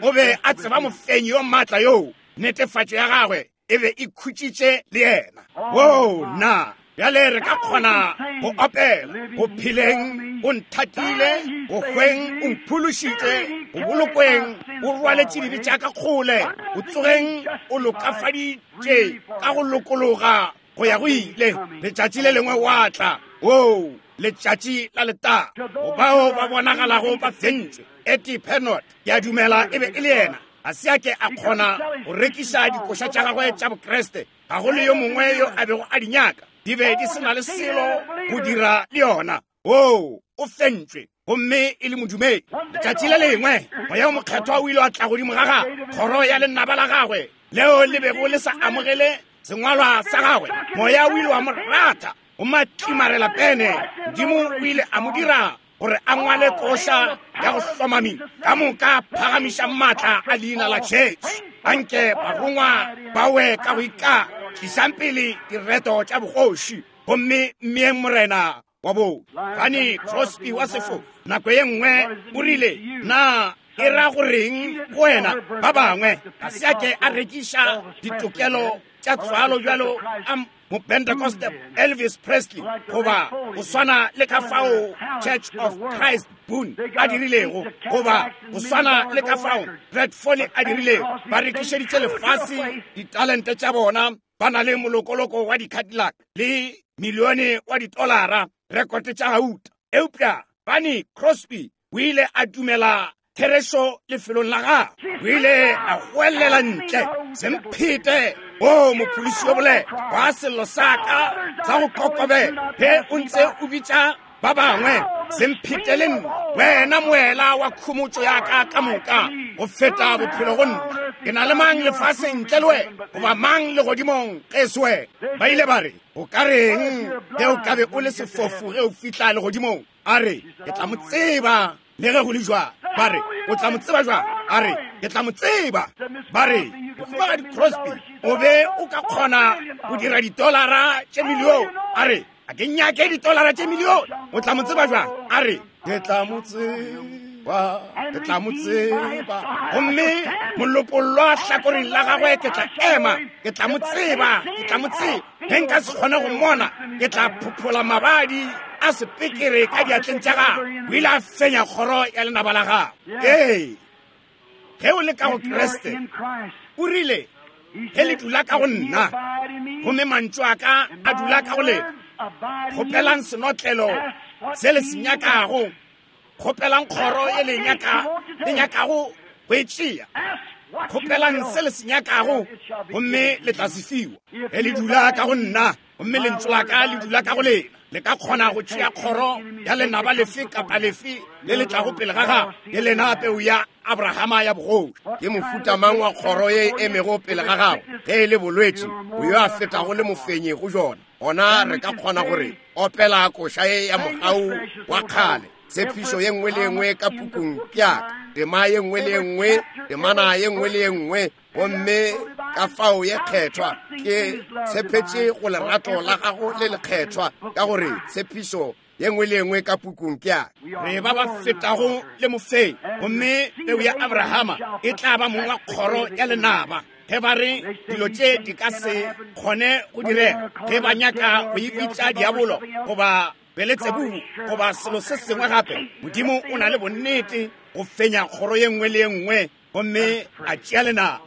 O be a tseba mofenyi yo maatla yoo, netefatšo ya gagwe e be e khutšitše le yena. Wo na bjale re ka kgona go opela go pheleng o nthatile, go hweng o mphološitše, go bolokweng o rwaletše dibe tša ka kgole, go tsogeng o lokafaditše ka go lokologa go ya go ile. Letšatši le lengwe wa tla, wo letšatši la letago, go bao ba bonagalago ba fentšwe. Ettie Penot, ke a dumela e be e le yena, a se a ke a kgona go rekiša dikoša tša gagwe tša Bokriste. Ga go le yo mongwe yo a bego a di nyaka, di be di se na le selo go dira le yona. O o fentšwe gomme e le modumedi. Letšatši le lengwe moya o mokgethwa o ile wa tla godimo ga gagwe, kgoro ya lenaba la gagwe leo le bego le sa amogele sengwalwa sa gagwe. Moya o ile wa mo rata go matlimarela pene. Modimo o ile a mo dira gore a ngwale koša ya go hlomami ka moka phagamiša maatla a leina la Jesu. Anke barongwa ba we ka go ika, tlišang pele direto tša bogoši, gomme mmeeng morena wa bo. Fanny Crosby wa sefo nako ye nngwe o rile, na e ra goreng go wena? Ba bangwe ga se a ke a rekiša ditokelo tša tswalo bjalo a Mopentecost Elvis Presley, goba go swana le ka fao Church of Christ Boone a dirilego, goba go swana le ka fao Red Foley a dirilego. Ba rekišeditše lefase ditalente tša bona, ba na le molokoloko wa di-Cadillac le milione wa ditolara, rekote tša gauta. Eupša Fanny Crosby o ile a dumela therešo lefelong la gagwe. O ile a goelela ntle, semphete o mophološi yo boleta wa sello sa ka sa go kokobela, ge o ntse o bitša ba bangwe, semphete le nna, wena moela wa khomotšo ya ka ka moka, go feta bophelo go nna. Ke na le mang lefaseng ntle le wena, goba mang legodimong ge e se wena? Ba ile ba re, o ka reng ge o ka be o le sefofu ge o fihla legodimong? A re, ke tla mo tseba le ge go le jwang. Ba re, o tla mo tseba jwang? A re, ke tla mo tseba. Ba re, Mohumagadi Crosby, o be o ka kgona go dira ditolara tše milione. A re, a ke nyake ditolara tše milione. O tla mo tseba jwang? A re, ke tla mo tseba, ke tla mo tseba. Gomme molopollwa hlakoreng la gagwe ke tla ema, ke tla mo tseba, ke tla mo tseba. Ge nka se kgone go mmona, ke tla phophola mabadi a sepekere ka diatleng tša gagwe. O ile a fenya kgoro ya lenaba la gagwe. Ee, ge o le ka go Kriste, o rile, ge le dula ka go nna, gomme mantšu a ka a dula ka go lena, kgopelang senotlelo se le se nyakago, kgopelang kgoro ye le nyaka, le nyakago go e tšea, kgopelang se le se nyakago, gomme le tla se fiwa. Ge le dula ka go nna, gomme lentšu la ka le dula ka go lena, le ka kgona go tšea kgoro ya lenaba lefe kapa lefe le le tlago pele ga gago, le lena peu ya Abrahama ya bogoši. Ke mofuta mang wa kgoro ye e emego pele ga gago? Ge e le bolwetši, o yo a fetago le mofenyi go jona, gona re ka kgona gore opela koša ye ya mogau wa kgale, tshepišo ye nngwe le ye nngwe ka pukung ke ya ka, tema ye nngwe le ye nngwe, temana ye nngwe le ye nngwe, gomme ka fao ye kgethwa. Ke tshepetše go lerato la gago le lekgethwa, ka gore tshepišo ye nngwe le ye nngwe ka pukung ke ya ka. Re ba ba fetago le mofenyi, gomme peu ya Abrahama e tla ba mong wa kgoro ya lenaba. Ge ba re dilo tše di ka se kgone go direga, ge ba nyaka go e bitša diabolo goba Beletsebubu goba selo se sengwe gape, Modimo o na le bonnete go fenya kgoro ye nngwe le ye nngwe gomme a tšea lenaba.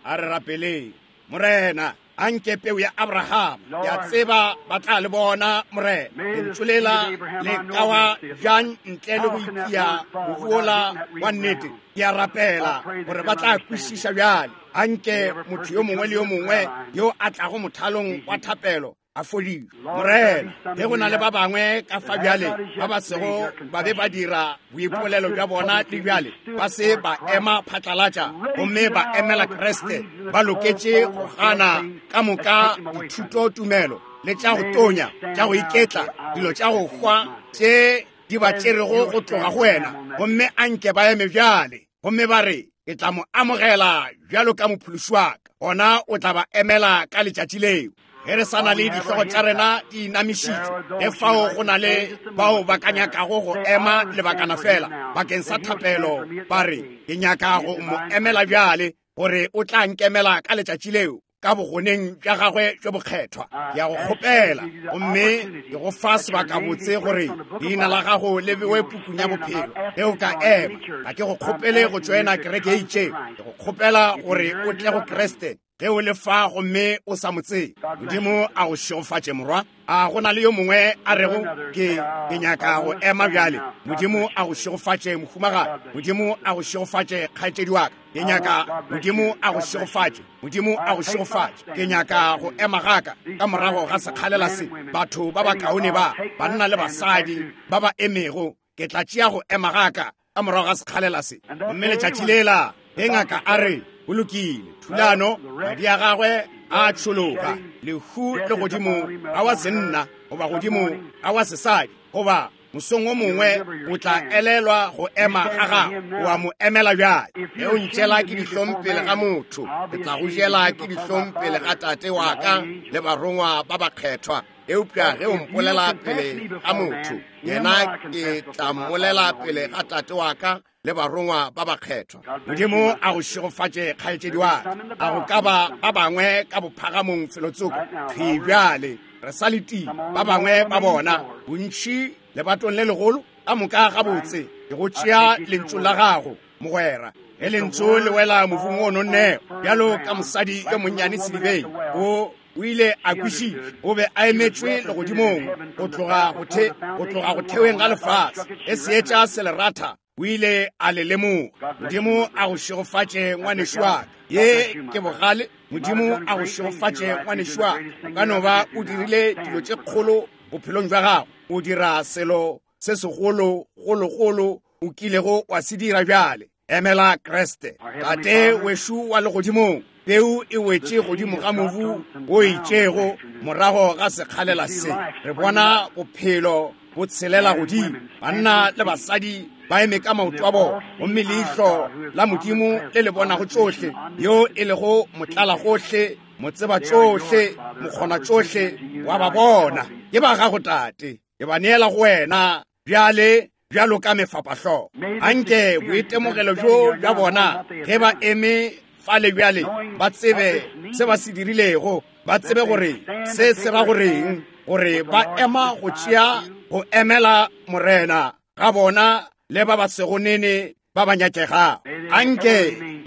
A re rapeleng. Morena, Anke peu ya Abraham, ke a tseba ba tla le bona, Morena. Lentšu lela le ka wa bjang ntle le go itia mobu wola wa nnete. Ke a rapela gore ba tla kwešiša bjale. Anke motho yo mongwe le yo mongwe yo a tlago mothalong wa thapelo a fodišwe. Morena, ge go na le ba bangwe ka fa bjale ba ba sego ba be ba dira boipolelo bja bona le bjale, ba se ba ema phatlalatša gomme ba emela Kriste, ba loketše go gana ka moka dithuto tumelo le tša go tonya, tša go iketla, dilo tša go hwa tše di ba tšerego go tloga go wena, gomme anke ba eme bjale gomme ba re, ke tla mo amogela bjalo ka mophološi wa ka. Gona o tla ba emela ka letšatši leo. Ge re sa na le dihlogo tša rena di inamišitšwe, ge fao go na le bao ba ka nyakago go ema lebakana fela bakeng sa thapelo, ba re, ke nyaka go mo emela bjale, gore o tla nkemela ka letšatši leo ka bogoneng bja gagwe bjo bokgethwa. Ke a go kgopela gomme ke go fa sebakabotse gore leina la gago le bewe pukung ya bophelo. Ge o ka ema, ga ke go kgopele go tšoena kereke e itšego, ke go kgopela gore o tle go Kriste ge o le fa gomme o sa mo tsebe. Modimo a go šegofatše, morwa. A go na le yo mongwe a rego, ke ke nyaka go ema bjale? Modimo a go šegofatše, mohumagadi. Modimo a go šegofatše, kgaetšedi wa ka. Ke nyaka Modimo a go šegofatše. Modimo a go šegofatše. Ke nyaka go ema gaka ka morago ga sekgalela se. Batho ba bakaone ba, banna le basadi ba ba emego, ke tla tšea go ema gaka ka morago ga sekgalela se. Gomme letšatši lela ge ngaka a re, go lokile, thulano, madi a gagwe a tšhologa, lehu le godimo ga wa senna goba godimo ga wa sesadi, goba mosong o mongwe o tla elelwa go ema ga gago, wa mo emela bjale. Ge o ntšela ke dihlong pele ga motho, ke tla go jela ke dihlong pele ga tate wa ka le barongwa ba bakgethwa. Eupša ge o mpolela pele ga motho, yena ke tla mmolela pele ga tate wa ka le barongwa ba bakgethwa. Modimo a go šegofatše, kgaetšedi wa ka. A go ka ba ba bangwe ka bophagamong felotsoko thwi bjale, re sa letile ba bangwe ba bona, bontši lebatong le legolo ka moka gabotse. Ke go tšea lentšu la gago, mogwera. Ge lentšu le wela mobung o nonnego, bjalo ka mosadi yo monnyane sedibeng, o o ile a kwešiša, o be a emetšwe legodimong go tloga go the go tloga go theweng ga lefase. Ge seetša se le ratha, o ile a le lemoga. Modimo a go šegofatše, ngwanešu wa ka. Ye ke bogale. Modimo a go šegofatše, ngwanešu wa ka. O ka no ba o dirile dilo tše kgolo bophelong bja gago, o dira selo se segolo gologolo o kilego wa se dira bjale. Emela Kriste. Tate wešo wa legodimong, peu e wetše godimo ga mobu o itšego morago ga sekgalela se. Re bona bophelo bo tshelela godimo, banna le basadi ba eme ka maoto a bona, gomme leihlo la Modimo le le bonago tšohle, yo e lego motlala gohle, motseba tšohle, mokgona tšohle, wa ba bona. Ke ba gago, Tate, ke ba neela go wena bjale bjalo ka mefapahlogo. Anke boitemogelo bjo bja bona ge ba eme fale bjale, ba tsebe se ba se dirilego, ba tsebe gore se se ra goreng, gore ba ema go tšea go emela Morena ga bona le ba ba sego nene ba ba nyakegago. Anke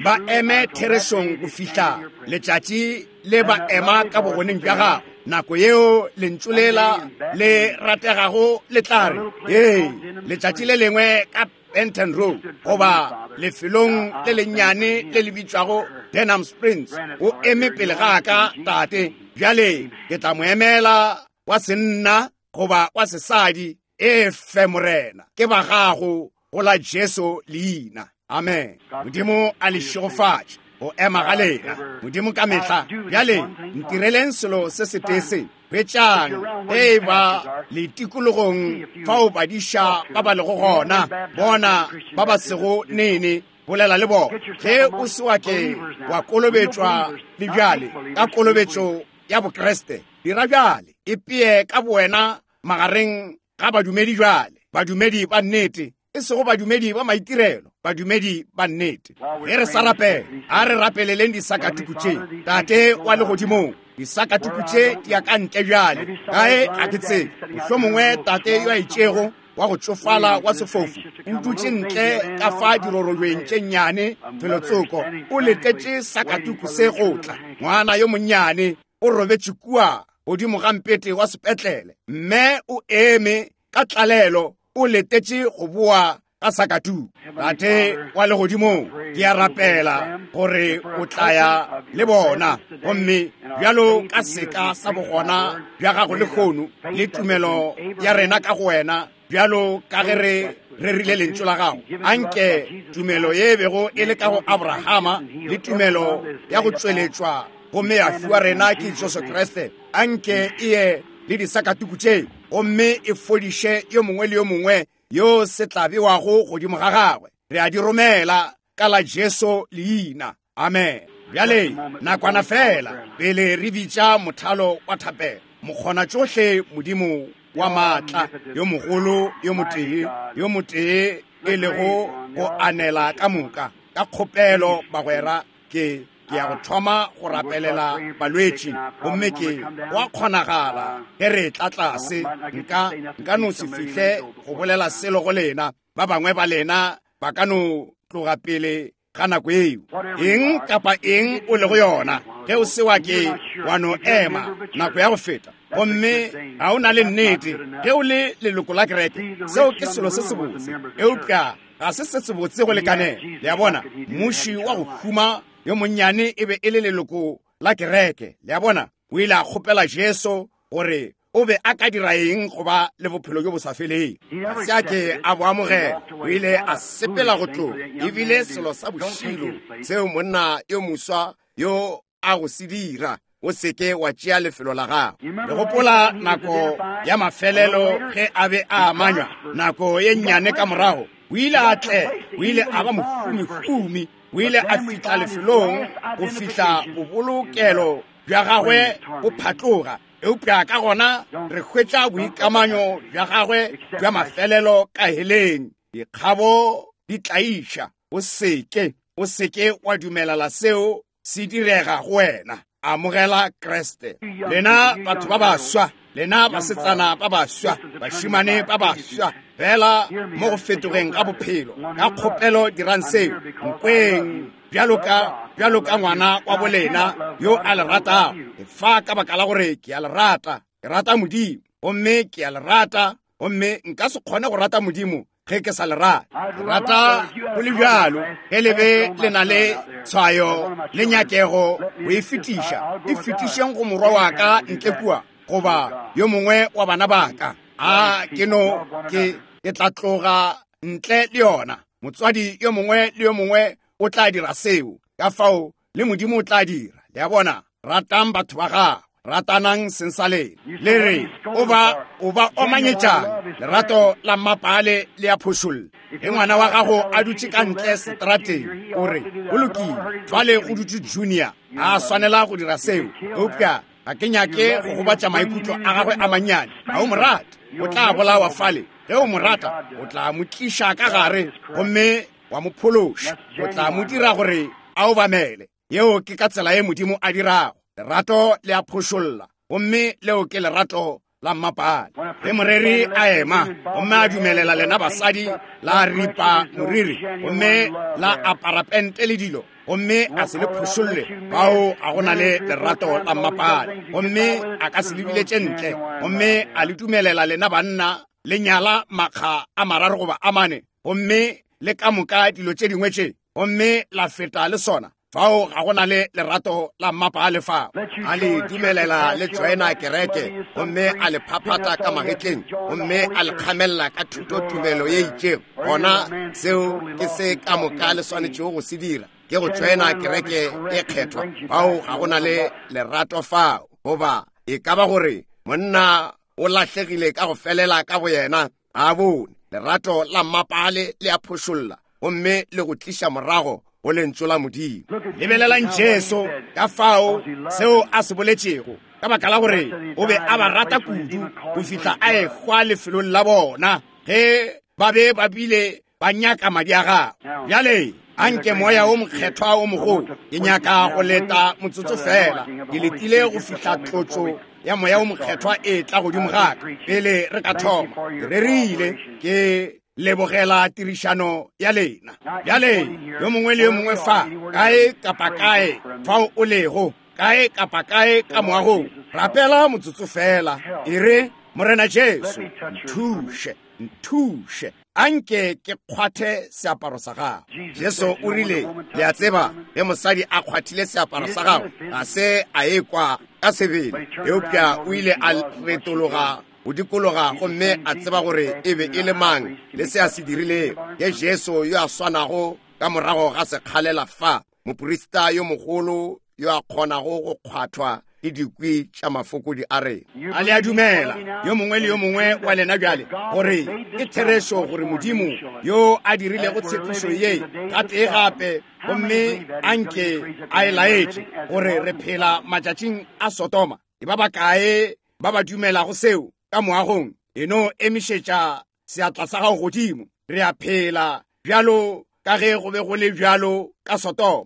ba eme therešong go fihla letšatši le ba ema ka bogoneng bja gago. Nako yeo lentšu lela le rategago le tla re, ee, letšatši le lengwe ka Benton Road goba lefelong le lennyane le le bitšwago Denham Springs, o eme pele ga ka, Tate. Bjale ke tla mo emela wa senna goba wa sesadi. E fe, Morena, ke ba gago go la Jesu leina. Amen. Modimo a le šegofatše go ema ga lena. Modimo ka mehla. Bjale ntireleng selo se setee se. Hwetšang ge e ba le tikologong fao badiša ba ba lego gona, bona ba ba sego nene, bolela le bona. Ge o se wa ke wa kolobetšwa le bjale ka kolobetšo ya Bokriste, dira bjale, ipee ka bowena magareng ga badumedi bjale, badumedi ba nnete, e sego badumedi ba maitirelo, badumedi ba nnete. Ge re sa rapela, a re rapeleleng disakatuku tše. Tate wa legodimong, disakatuku tše di ya ka ntle bjale, kae ga ke tsebe. Mohlomongwe tate yo a itšego wa go tšofala wa sefofu o dutše ntle ka fa dirorobeng tše nnyane felotsoko, o letetše sakatuku se go tla. Ngwana yo monnyane o robetše kua godimo ga mpete wa sepetlele. Mme o eme ka tlalelo, o letetše go boa ka sakatu. Tate wa legodimong, ke a rapela gore o tla ya le bona, gomme bjalo ka seka sa bogona bja gago lehono le tumelo ya rena ka go wena, bjalo ka ge re rerile lentšu la gago, anke tumelo ye bego e le ka go Abrahama le tumelo ya go tšweletšwa gomme ya fiwa rena ke Jesu Kriste, anke e ye le disakatuku tše gomme e fodiše yo mongwe le yo mongwe yo se tla bewago godimo ga gagwe. Re a di romela ka la Jesu leina. Amen. Bjale nakwana fela pele re bitša mothalo wa thapelo. Mokgona tšohle Modimo wa maatla, yo mogolo, yo motee, yo motee e lego go anela ka moka. Ka kgopelo bagwera, ke ke ya go thoma go rapelela balwetši, gomme ke wa kgonagala ge re tla tlase nka nka no se fihle go bolela selo go lena. Ba bangwe ba lena ba ka no tloga pele ga nako eo. Eng kapa eng o lego yona, ge o se wa ke wa no ema nako ya go feta, gomme ga o na le nnete ge o le leloko la kereke, seo ke selo se sebotse, eupša ga se se sebotse go lekanela. Le a bona, mmuši wa go huma yo monnyane e be e le leloko la kereke. Le a bona, o ile a kgopela Jesu gore o be a ka dira eng go ba le bophelo bjo bo sa feleng. Ga se a ke a bo amogela, o ile a sepela go tloga. Ebile selo sa bošilo seo monna yo moswa yo a go se dira, o seke wa tšea lefelo la gago. Le gopola nako ya mafelelo ge a be a amanywa, nako ye nnyane ka morago, o ile a tle, o ile a ba mohumi-humi, o ile a fihla lefelong go fihla bobolokelo bja gagwe bo phatloga. Eupša ka gona re hwetša boikamanyo bja gagwe bja mafelelo ka heleng. Dikgabo di tlaiša. O seke, o seke wa dumelala seo se direga go wena. Amogela Kriste. Lena batho ba baswa, lena basetsana ba baswa, bašimane ba baswa, fela mo go fetogeng ga bophelo, ka kgopelo dirang seo. Nkweng bjalo ka bjalo ka ngwana wa bolena yo a le ratago. Fa ka baka la gore ke a le rata, ke rata Modimo, gomme ke a le rata, gomme nka se kgone go rata Modimo ge ke sa le rata. Ke rata go le bjalo ge le be le na le tshwayo le nyakego go e fetiša, e fetišeng go morwa wa ka ntle kua, goba yo mongwe wa bana ba ka. A ke no ke ke tla tloga ntle le yona. Motswadi yo mongwe le yo mongwe o tla dira seo, ka fao le Modimo o tla dira. Le a bona, ratang batho ba gago, ratanang seng sa lena. Le re o ba o ba omanyetšang, lerato la mmapale le a phošolla. Ge ngwana wa gago a dutše ka ntle seterateng, o re go lokile, jwale go dutše Junior, a swanela go dira seo, eupša ga ke nyake go gobatša maikutlo a gagwe a mannyane. Ga o mo rate, o tla bolawa fale. Ge o mo rata, o tla mo tliša ka gare gomme wa mo phološa, o tla mo dira gore a obamele. Yeo ke ka tsela ye Modimo a dirago. Lerato le a phošolla, gomme leo ke lerato la mmapale. Ge moreri a ema gomme a dumelela lena basadi la ripa moriri gomme la apara pente le dilo, gomme a se le phošolle, bao a go na le lerato la mmapale, gomme a ka se le biletše ntle, gomme a le dumelela lena banna le nyala makga a mararo goba a mane, gomme le ka moka dilo tše dingwe tše, gomme la feta le sona, fao ga go na le lerato la mmapale fao. A le dumelela le joina kereke, gomme a le phaphatha ka magetleng, gomme a le kgamella ka thutotumelo ye itšego, gona seo ke se ka moka le swanetšego go se dira, ke go joina kereke e kgethwa. Fao ga go na le lerato fao, goba e ka ba gore monna o lahlegile ka go felela ka boyena, a bone lerato la mmapale le a phošolla, gomme le go tliša morago go lentšu la Modimo. Lebelelang Jesu ka fao seo a se boletšego, ka baka la gore o be a ba rata kudu go fihla a ehwa lefelong la bona ge ba be ba bile ba nyaka madi a gagwe. Bjale anke moya o mokgethwa o mogolo, ke nyaka go leta motsotso fela, ke letile go fihla tlotšo ya moya o mokgethwa e tla godimo ga ka pele re ka thoma. Ke rerile, ke lebogela tirišano ya lena. Bjale yo mongwe le yo mongwe fa, kae kapa kae fao o lego, Kae kapa kae ka moagong, rapela motsotso fela. E re, Morena Jesu, nthuše, nthuše. Anke ke kgwathe seaparo sa gago. Jesu o rile, le a tseba, ge mosadi a kgwathile seaparo sa gago, ga se a ekwa ka sebele, eupša o ile a retologa go dikologa gomme a tseba gore e be e le mang le se a se dirilego. Ke Jesu yo a swanago ka morago ga sekgalela fa, moprista yo mogolo yo a kgonago go kgwathwa ke dikwi tša mafokodi a rena. A le a dumela, yo mongwe le yo mongwe wa lena bjale, gore ke therešo gore Modimo yo a dirilego tshepišo ye gatee gape, gomme anke a e laetše gore re phela matšatšing a Sodoma. E ba bakae ba ba dumelago seo ka moagong? E no emišetša seatla sa gago godimo. Re a phela bjalo ka ge go be go le bjalo ka Sodoma.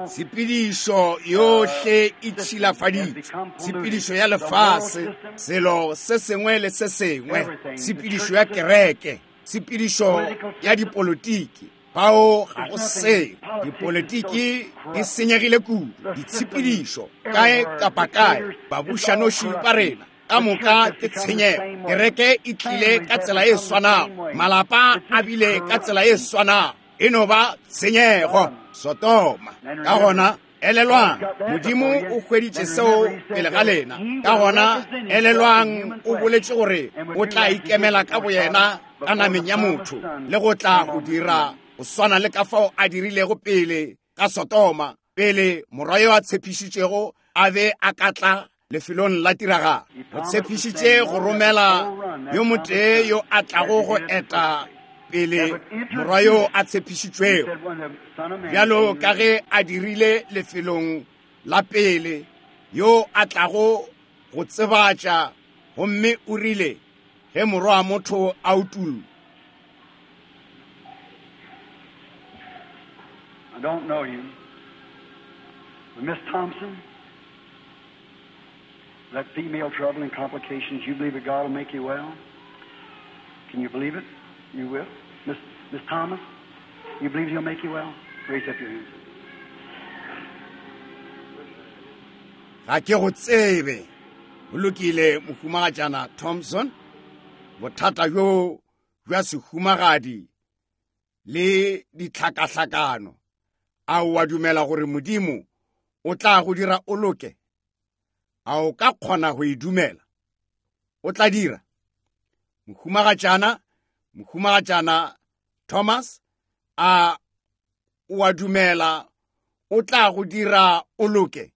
Tshepedišo yohle e tšhilafaditšwe, tshepedišo ya lefase, selo se sengwe le se sengwe, tshepedišo ya kereke, tshepedišo ya dipolitiki. Bao ga go seo. Dipolitiki di senyegile kudu, ditshepedišo kae kapa kae, babušanoši ba rena ka moka ke tshenyego. Kereke e tlile ka tsela e swanago, malapa a bile ka tsela e swanago, e no ba tshenyego. Sodoma. Ka gona elelwang, Modimo o hweditše seo pele ga lena. Ka gona elelwang, o boletše gore o tla ikemela ka boyena ka nameng ya motho le go tla go dira go swana le ka fao a dirilego pele ka Sodoma, pele morwa yo a tshepišitšego a be a ka tla lefelong la tiragalo. O tshepišitše go romela yo motee yo a tlago go eta pele morwa yo a tshepišitšwego, bjalo ka ge a dirile lefelong la pele, yo a tlago go tsebatša. Gomme o rile, ge morwa wa motho a utullwa. I don't know you. But Miss Thompson, that female trouble and complications, you believe that God will make you well? Can you believe it? You will. Miss, Miss Thomas, you believe He'll make you well? Raise up your hands. Ga ke go tsebe. O lokile, mohumagatšana Thompson. Bothata bjo bja sehumagadi le ditlhakahlakano, a o a dumela gore Modimo o tla go dira o loke? A o ka kgona go e dumela? O tla dira. Mohumagatšana, mohumagatšana Thomas, a o a dumela o tla go dira o loke?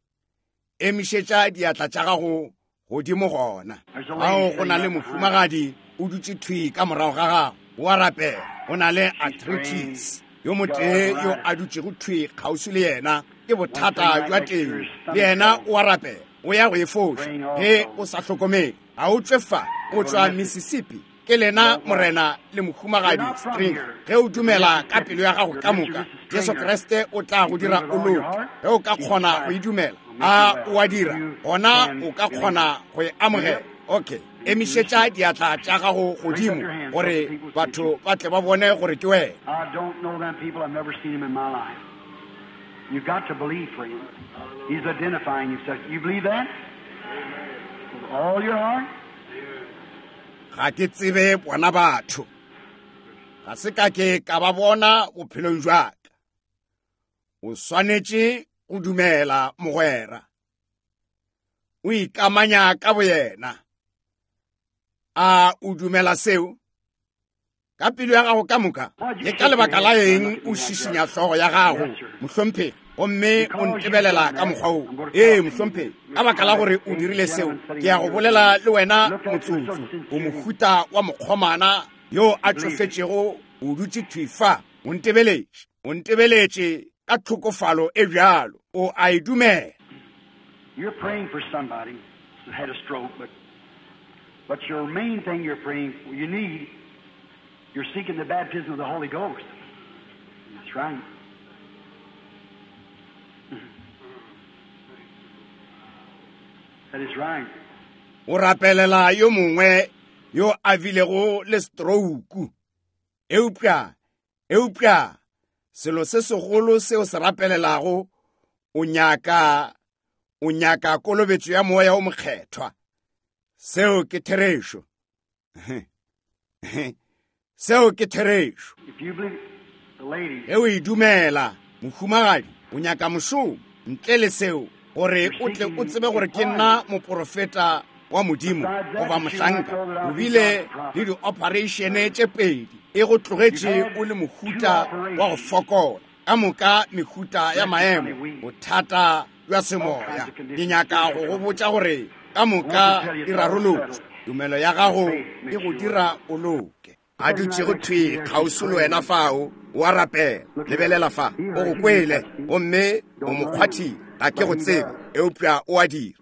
Emišetša diatla tša gago godimo gona. Ao go na le mohumagadi o dutše thwi ka morago ga gago, o a rapela, o na le arthritis. Yo motee yo a dutšego thwi kgauswi le yena ke bothata bja teng, le yena o a rapela, o ya go e foša ge o sa hlokomele. A o tšwe fa, o tšwa Mississippi. Ke lena morena le mohumagadi Stringer. Ge o dumela ka pelo ya gago ka moka, Jesu Kriste o tla go dira o loke. Ge o ka kgona go e dumela, a o a dira, gona o ka kgona go e amogela. Okay, emišetša diatla tša gago godimo gore batho ba tle ba bone gore ke wena. I don't know them people. I've never seen them in my life. You've got to believe for him. He's identifying himself. You believe that? With all your heart? Ga ke tsebe bona batho. Ga se ka ke ka ba bona bophelong jwa ka. O swanetše go dumela, mogwera. O ikamanya ka boyena. A o dumela seo? Ka pelo ya gago ka moka? Ke ka lebaka la eng o šišinya hlogo ya gago, mohlomphegi, gomme o ntebelela ka mokgwa wo? Ee, mohlomphegi, ka baka la gore o dirile seo, ke ya go bolela le wena motsotso. O mohuta wa mokgomana yo a tšofetšego, o dutše thwi fa, o ntebeletše, o ntebeletše ka tlhokofalo e bjalo. O a e dumela. You're praying for somebody who had a stroke, but, but your main thing you're praying for, you need, you're seeking the baptism of the Holy Ghost. That's right. That is right. O rapelela yo mongwe yo a bilego le stroke. Eupša, eupša, selo se segolo seo se rapelelago, o nyaka O nyaka kolobetšo ya Moya o Mokgethwa. Seo ke therešo. Seo ke therešo. Ge o e dumela, mohumagadi, o nyaka mošomo. Ntle le seo, gore o tle o tsebe gore ke nna moporofeta wa Modimo goba mohlanka, o bile le di-operation tše pedi, e go tlogetše o le mohuta wa go fokola, ka moka mehuta ya maemo, bothata bja semoya. Ke nyaka go go botša gore ka moka di rarolotšwe. Tumelo ya gago e go dira o loke. A dutšego thwi kgauswi le wena fao, o a rapela. Lebelela fa, o go kwele, gomme o mo kgwathile. Ga ke go tsebe, eupša o a dira.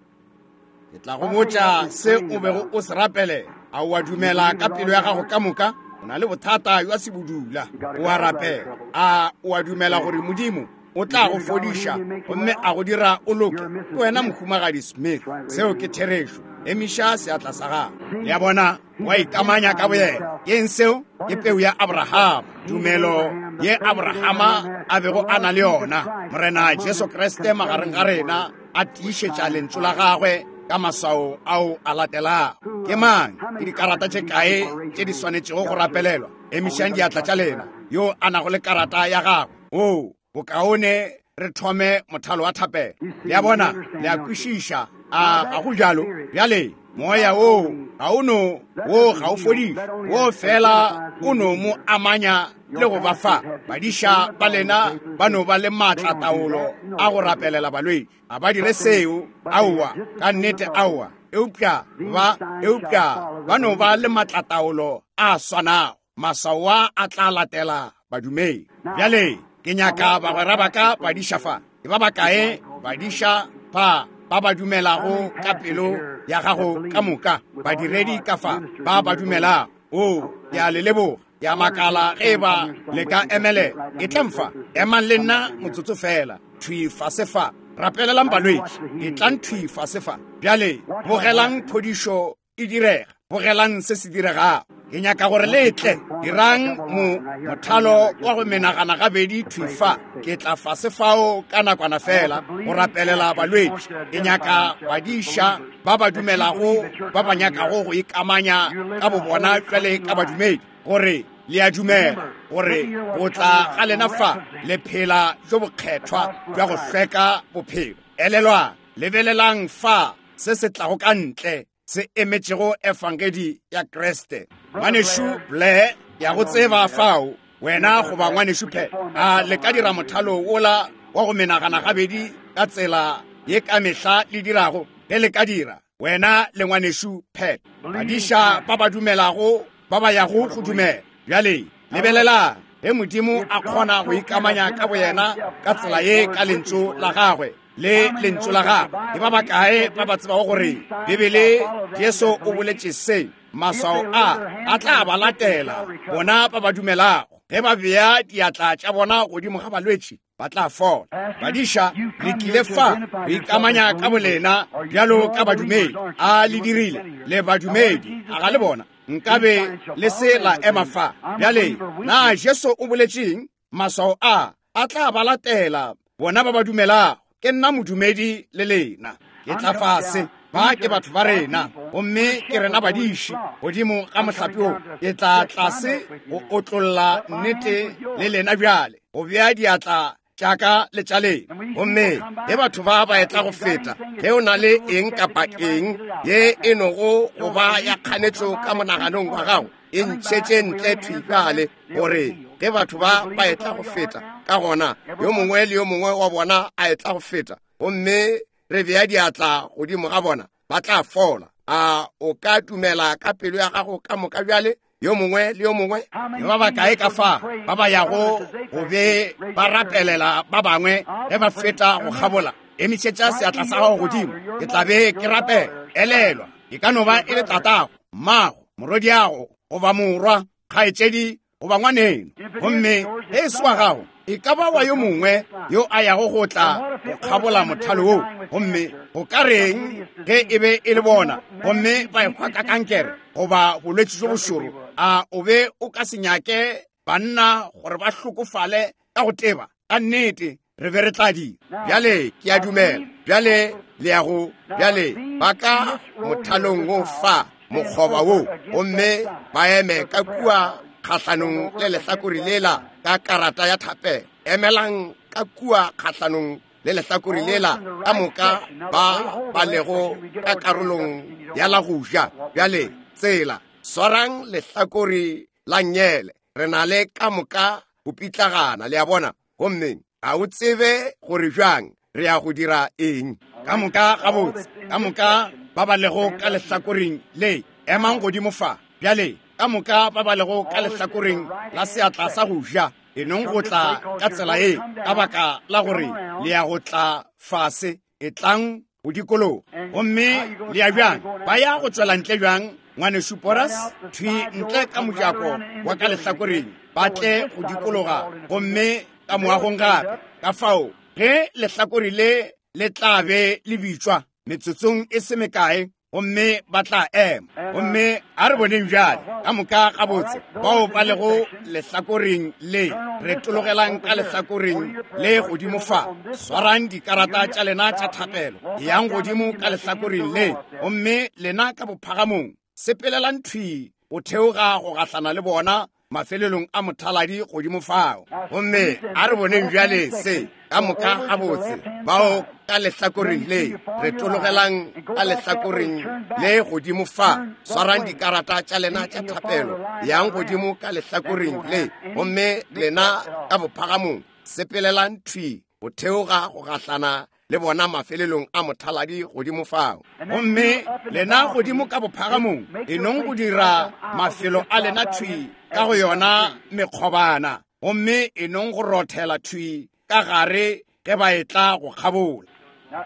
Ke tla go botša se o bego o se rapelela. A o a dumela ka pelo ya gago ka moka? O na le bothata bja sebudula, o a rapela. A o a dumela gore Modimo o tla go fodiša gomme a go dira o loke? Ke wena mohumagadi Smith. Seo ke therešo. Emiša seatla sa gago. Le a bona, wa ikamanya ka boyena. Ke eng seo? Ke peu ya Abrahama, tumelo ye Abrahama a bego a na le yona. Morena Jesu Kriste magareng ga rena a tiišetša lentšu la gagwe ka maswao ao a latelago. Ke mang? Ke dikarata tše kae tše di swanetšego go rapelelwa? Emišang diatla tša lena. Yo a nago le karata ya gagwe. O bokaone re thome mothalo wa thapelo. Le a bona, le a kwešiša. A ga go bjalo? Bjale moya wo ga o no, wo ga o fodiše, wo fela o no mo amanya le go ba fa. Badiša ba lena ba no ba le maatla taolo a go rapelela balwetši. A ba dire seo? Aowa, ka nnete aowa. Eupša ba, eupša ba no ba le maatla taolo a swanago. Maswao a a tla latela badumedi. Bjale ke nyaka bagwera ba ka badiša fa. Ke ba bakae badiša fa ba ba dumelago ka pelo ya gago ka moka? Badiredi ka fa ba ba dumelago. O, ke a le leboga. Ke a makala ge ba le ka emelela. Etlang fa, emang le nna motsotso fela. Thwi fase fa, rapelelang balwetši. Etlang thwi fase fa. Bjale bogelang phodišo e direga. Bogelang se se diregago. Ke nyaka gore le tle. Dirang mo mothalo wa go menagana gabedi thwi fa. Ke tla fase fao ka nakwana fela go rapelela balwetši. Ke nyaka badiša ba ba dumelago, ba ba nyakago go ikamanya ka bobona jwale ka badumedi, gore le a dumela gore go tla ga lena fa le phela jo bokgethwa bja go hlweka bophelo. Elelwang, lebelelang fa se se tlago ka ntle se emetšego efangedi ya Kriste. Ngwanešu Blair, ya go tseba fao, wena goba ngwanešu Phe, a le ka dira mothalo wola wa go menagana gabedi ka tsela ye ka mehla le dirago? Ge le ka dira, wena le ngwanešu Phe, badiša ba ba dumelago ba ba yago go dumela. Bjale lebelelang ge Modimo a kgona go ikamanya ka boyena ka tsela ye ka lentšu la gagwe le lentšu la gagwe. Ke ba bakae ba ba tsebago gore Bibele Jesu o boletše se? Maswao a a tla ba latela bona ba ba dumelago. Ge ba bea diatla tša bona godimo ga balwetši, ba tla fola. Badiša, le tlile fa go ikamanya ka bolena bjalo ka badumedi. A le dirile? Le badumedi, a ga le bona? Nkabe le se la ema fa. Bjale na Jesu o boletšeng? Maswao a a tla ba latela bona ba ba dumelago. Ke nna modumedi le lena. Ke tla fase. Ba ke batho ba rena, gomme ke rena badiši godimo ga mohlape wo. Ke tla tlase go otlolla nnete le lena bjale, go bea diatla tša ka le tša lena. Gomme ge batho ba ba etla go feta, ge o na le eng kapa eng ye e nogo go ba ya kganetšo ka monaganong wa gago, e ntšhetše ntle thwi bjale, gore ge batho ba ba etla go feta, ka gona yo mongwe le yo mongwe wa bona a etla go feta, gomme re bea diatla godimo ga bona, ba tla fola. A o ka dumela ka pelo ya gago ka moka bjale? Yo mongwe le yo mongwe. Ke ba bakae ka fa ba ba yago go be ba rapelela ba bangwe ge ba feta go kgabola? Emišetša seatla sa gago godimo. Ke tla be ke rapela. Elelwa, e ka no ba e le tatago, mmago, morwediago, goba morwa, kgaetšedi, goba ngwaneno. Gomme ge e se wa gago, e ka ba wa yo mongwe yo a yago go tla go kgabola mothalo wo. Gomme go ka reng ge e be e le bona, gomme ba ehwa ka kankere goba bolwetši jo bošoro? A o be o ka se nyake banna gore ba hlokofale ka go teba? Ka nnete re be re tla di. Bjale ke a dumela. Bjale le ya go, bjale ba ka mothalong wo fa, mokgoba wo, gomme ba eme ka kua kgahlanong le lehlakore lela ka karata ya thapelo. Emelang ka kua kgahlanong le lehlakore lela ka moka ba ba lego ka karolong ya la go ja. Bjale tsela, swarang lehlakore la nyele. Re na le ka moka go pitlagana, le a bona. Gomme ga o tsebe gore bjang re ya go dira eng. Ka moka gabotse, ka moka ba ba lego ka lehlakoreng le, emang godimo fa. Bjale ka moka ba ba lego ka lehlakoreng la seatla sa go ja, e nong go tla ka tsela e, ka baka la gore le ya go tla fase, e tlang go dikologa. Gomme le ya bjang? Ba ya go tswela ntle bjang, ngwanešu Boras? Thwi ntle ka mojako wa ka lehlakoreng, ba tle go dikologa gomme ka moagong gape. Ka fao ge lehlakore le le tla be le bitšwa metsotsong e se mekae, gomme ba tla ema. Gomme a re boneng bjale ka moka gabotse bao ba lego lehlakoreng le, re tologelang ka lehlakoreng le godimo fa. Swarang dikarata tša lena tša thapelo, eyang godimo ka lehlakoreng le, gomme lena ka bophagamong sepelelang thwi go theoga go gahlana le bona mafelelong a mothaladi godimo fao. Gomme a re boneng bjale se ka moka gabotse bao ka lehlakoreng le, re tologelang ka lehlakoreng le godimo fa. Swarang dikarata tša lena tša thapelo, yang godimo ka lehlakoreng le, gomme lena ka bophagamong sepelelang thwi go theoga go gahlana le bona mafelelong a mothaladi godimo fao. Gomme lena godimo ka bophagamong e nong go dira mafelo a lena thwi ka go yona mekgobana, gomme e nong go rothela thwi ka gare ge ba etla go kgabola. Now,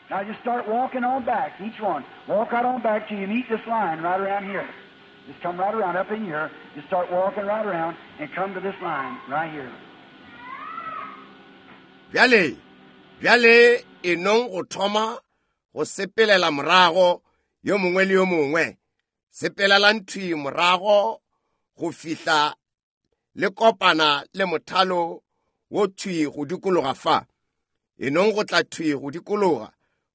now just start walking on back, each one. Walk out on back till you meet this line right around here. Just come right around up in here. Just start walking right around and come to this line right here. Bjale, bjale e nong go thoma go sepelela morago yo mongwe le yo mongwe. Sepelelang thwi morago go fihla le kopana le mothalo wo thwi go dikologa fa. E nong go tla thwi go dikologa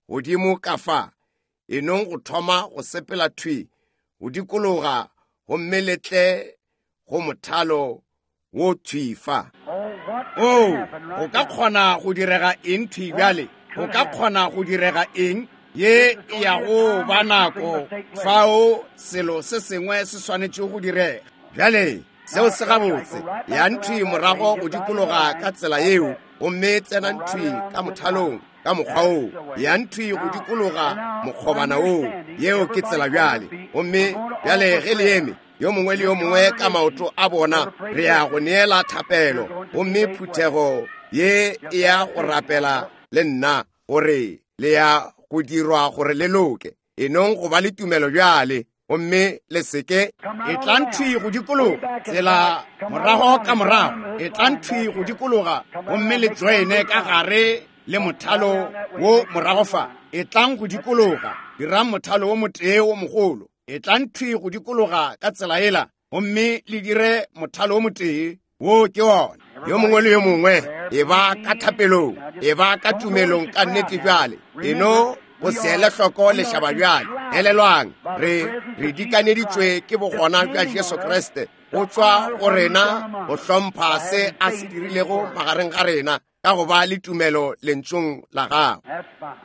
godimo ka fa. E nong go thoma go sepela thwi go dikologa gomme le tle go mothalo wo thwi fa. Oh, go ka kgona go direga eng thwi bjale? Go ka kgona go direga eng? Ye e ya go ba nako fao selo se sengwe se swanetše go direga. Bjale seo se gabotse, yang thwi morago go dikologa ka tsela yeo, gomme tsenang thwi ka mothalong ka mokgwa woo. Yang thwi go dikologa mokgobana woo. Yeo ke tsela bjale. Gomme bjale ge le eme yo mongwe le yo mongwe ka maoto a bona, re ya go neela thapelo, gomme phuthego ye e ya go rapela le nna gore le ya go dirwa gore le loke. E nong go ba le tumelo bjale, gomme le seke. E tlang thwi go dikologa tsela morago ka morago, e tlang thwi go dikologa gomme le joine ka gare le mothalo wo morago fa. E tlang go dikologa, dirang mothalo wo motee wo mogolo. E tlang thwi go dikologa ka tsela ela, gomme le dire mothalo wo motee. Wo ke wona. Yo mongwe le yo mongwe e ba ka thapelong, e ba ka tumelong ka nnete bjale. E no go se ele hloko lešaba bjale. Elelwang, re re dikaneditšwe ke bogona bja Jesu Kriste go tšwa go rena go hlompha se a se dirilego magareng ga rena ka go ba le tumelo lentšong la gagwe. That's fine.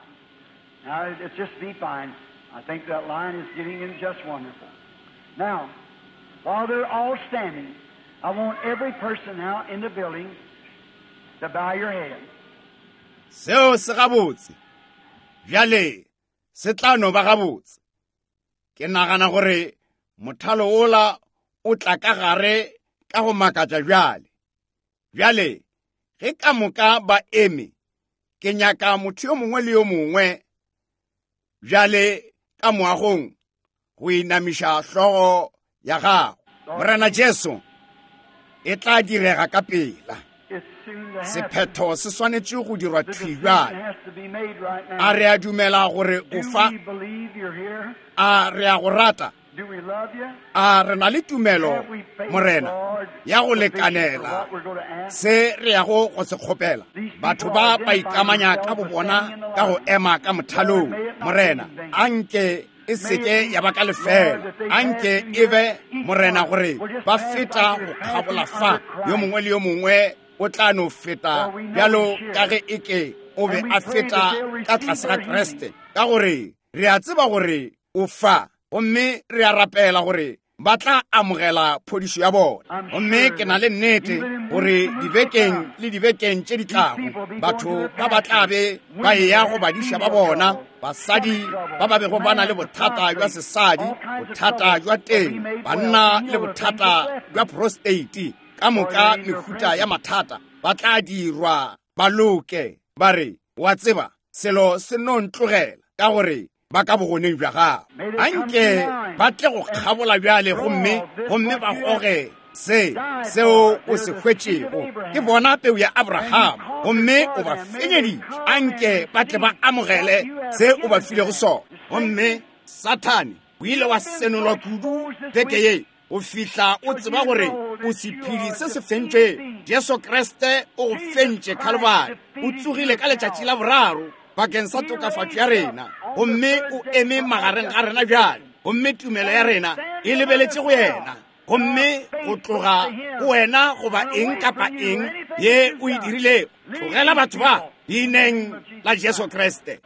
Now, it's just be fine. I think that line is getting in just wonderful. Now, while they're all standing, I want every person now in the building to bow your head. Seo se gabotse. Bjale se tla no ba gabotse. Ke nagana gore mothalo ola o tla ka gare ka go makatša bjale. Bjale ge ka moka ba eme, ke nyaka motho yo mongwe le yo mongwe bjale ka moagong go inamiša hlogo ya gago. Morena Jesu, e tla direga ka pela. It's soon to happen. Sephetho se swanetše go dirwa The thwi decision bjale. has to be made right A now. re a dumela gore o Do fa? we believe you're here? A re a go rata? A re na le tumelo, Morena, ya go lekanela se re yago go se kgopela? Batho ba ba ikamanya ka bobona ka go ema ka mothalong. Morena, anke e seke ya ba ka lefela. Anke e be, Morena, gore ba feta go kgabola fa. Yo mongwe le yo mongwe o tla no feta bjalo ka ge eke o be a feta ka tlase ga Kriste, ka gore re a tseba gore o fa, gomme re a rapela gore ba tla amogela phodišo ya bona. Gomme ke na le nnete gore dibekeng le dibekeng tše di tlago batho ba ba tla be ba eya go badiša ba bona, basadi ba ba bego ba na le bothata bja sesadi, bothata bja teng, banna le bothata bja prostate, ka moka mehuta ya mathata, ba tla dirwa ba loke. Ba re, wa tseba, selo se no ntlogela, ka gore ba ka bogoneng bja gago. Anke ba tle go kgabola bjale gomme gomme ba goge se seo o se hwetšego. Ke bona peu ya Abraham, gomme o ba fenyeditše. Anke ba tle ba amogele se o ba filego sona. Gomme Sathane o ile wa senolwa kudu beke ye o fihla o tseba gore o sephedi se se fentšwego. Jesu Kriste o go fentše Calvary, o tsogile ka letšatši la boraro bakeng sa tokafatšo ya rena, gomme o eme magareng ga rena bjale, gomme tumelo ya rena e lebeletše go yena. Gomme go tloga go wena goba eng kapa eng ye o e dirilego, tlogela batho ba leineng la Jesu Kriste.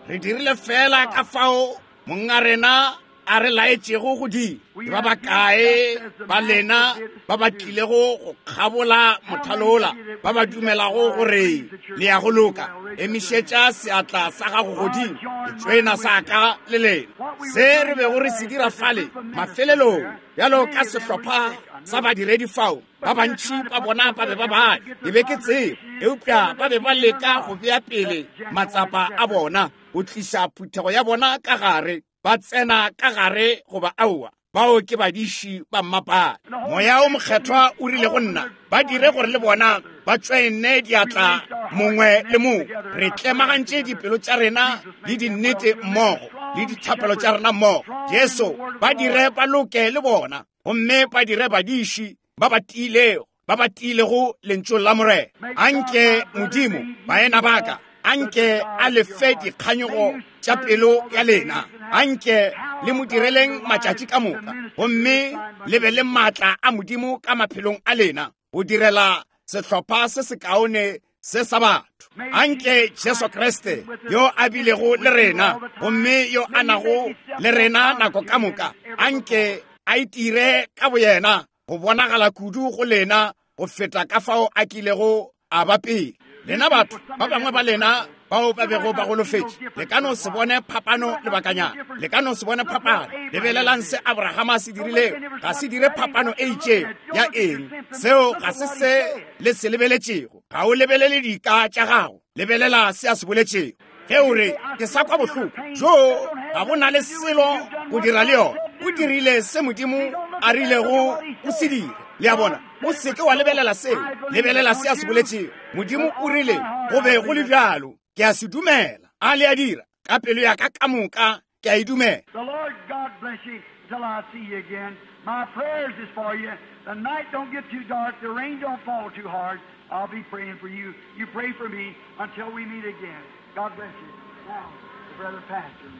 Re dirile fela ka fao monga rena a re laetšego go dira. Ke ba bakae ba lena ba ba tlilego go kgabola mothalola, ba ba dumelago gore le ya go loka? Emišetša seatla sa gago godimo, ke tšwena sa ka le lena. Se re bego re se dira fale mafelelong, bjalo ka sehlopha sa badiredi fao, ba bantši ba bona ba be ba baya, ke be ke tseba, eupša ba be ba leka go bea pele matsapa a bona, go tliša phuthego ya bona ka gare, ba tsena ka gare goba aowa. Bao ke badiši ba mmapale. Moya o mokgethwa o rile go nna, ba dire gore le bona ba tšwene diatla mongwe le mongwe. Re tlemagantše dipelo tša rena le dinnete mmogo, le dithapelo tša rena mmogo. Jesu, ba dire ba loke le bona, gomme ba dire badiši ba ba tiilego, ba ba tiilego lentšong la Morena. Anke Modimo, baena baka, anke a le fe dikganyogo tša pelo ya lena. Anke le mo direleng matšatši ka moka, gomme le be le maatla a Modimo ka maphelong a lena, go direla sehlopha se sekaone se sa batho. Anke Jesu Kriste, yo a bilego le rena, gomme yo a nago le rena nako ka moka, anke a itire ka boyena go bonagala kudu go lena go feta ka fao a kilego a ba pele. Lena batho ba bangwe ba lena bao ba bego ba golofetše, le ka no se bone phapano lebakanyana, le ka no se bone phapano. Lebelelang se Abrahama se dirilego, ga se dire phapano e itšego ya eng. Seo ga se se le se lebeletšego. Ga o lebelele dika tša gago, lebelela se a se boletšego. Ge o re, ke sa kwa bohloko, jo ga bo na le selo go dira le yona. O dirile se Modimo a rilego o se dire. Le a bona, o seke wa lebelela seo, lebelela se a se boletšego. Modimo o rile go be go le bjalo, ke a se dumela. A le a dira ka pelo ya ka ka moka, ke a e dumela. The Lord God bless you till I see you again. My prayers is for you. The night don't get too dark, the rain don't fall too hard. I'll be praying for you. You pray for me until we meet again. God bless you. Now, the brother pastor.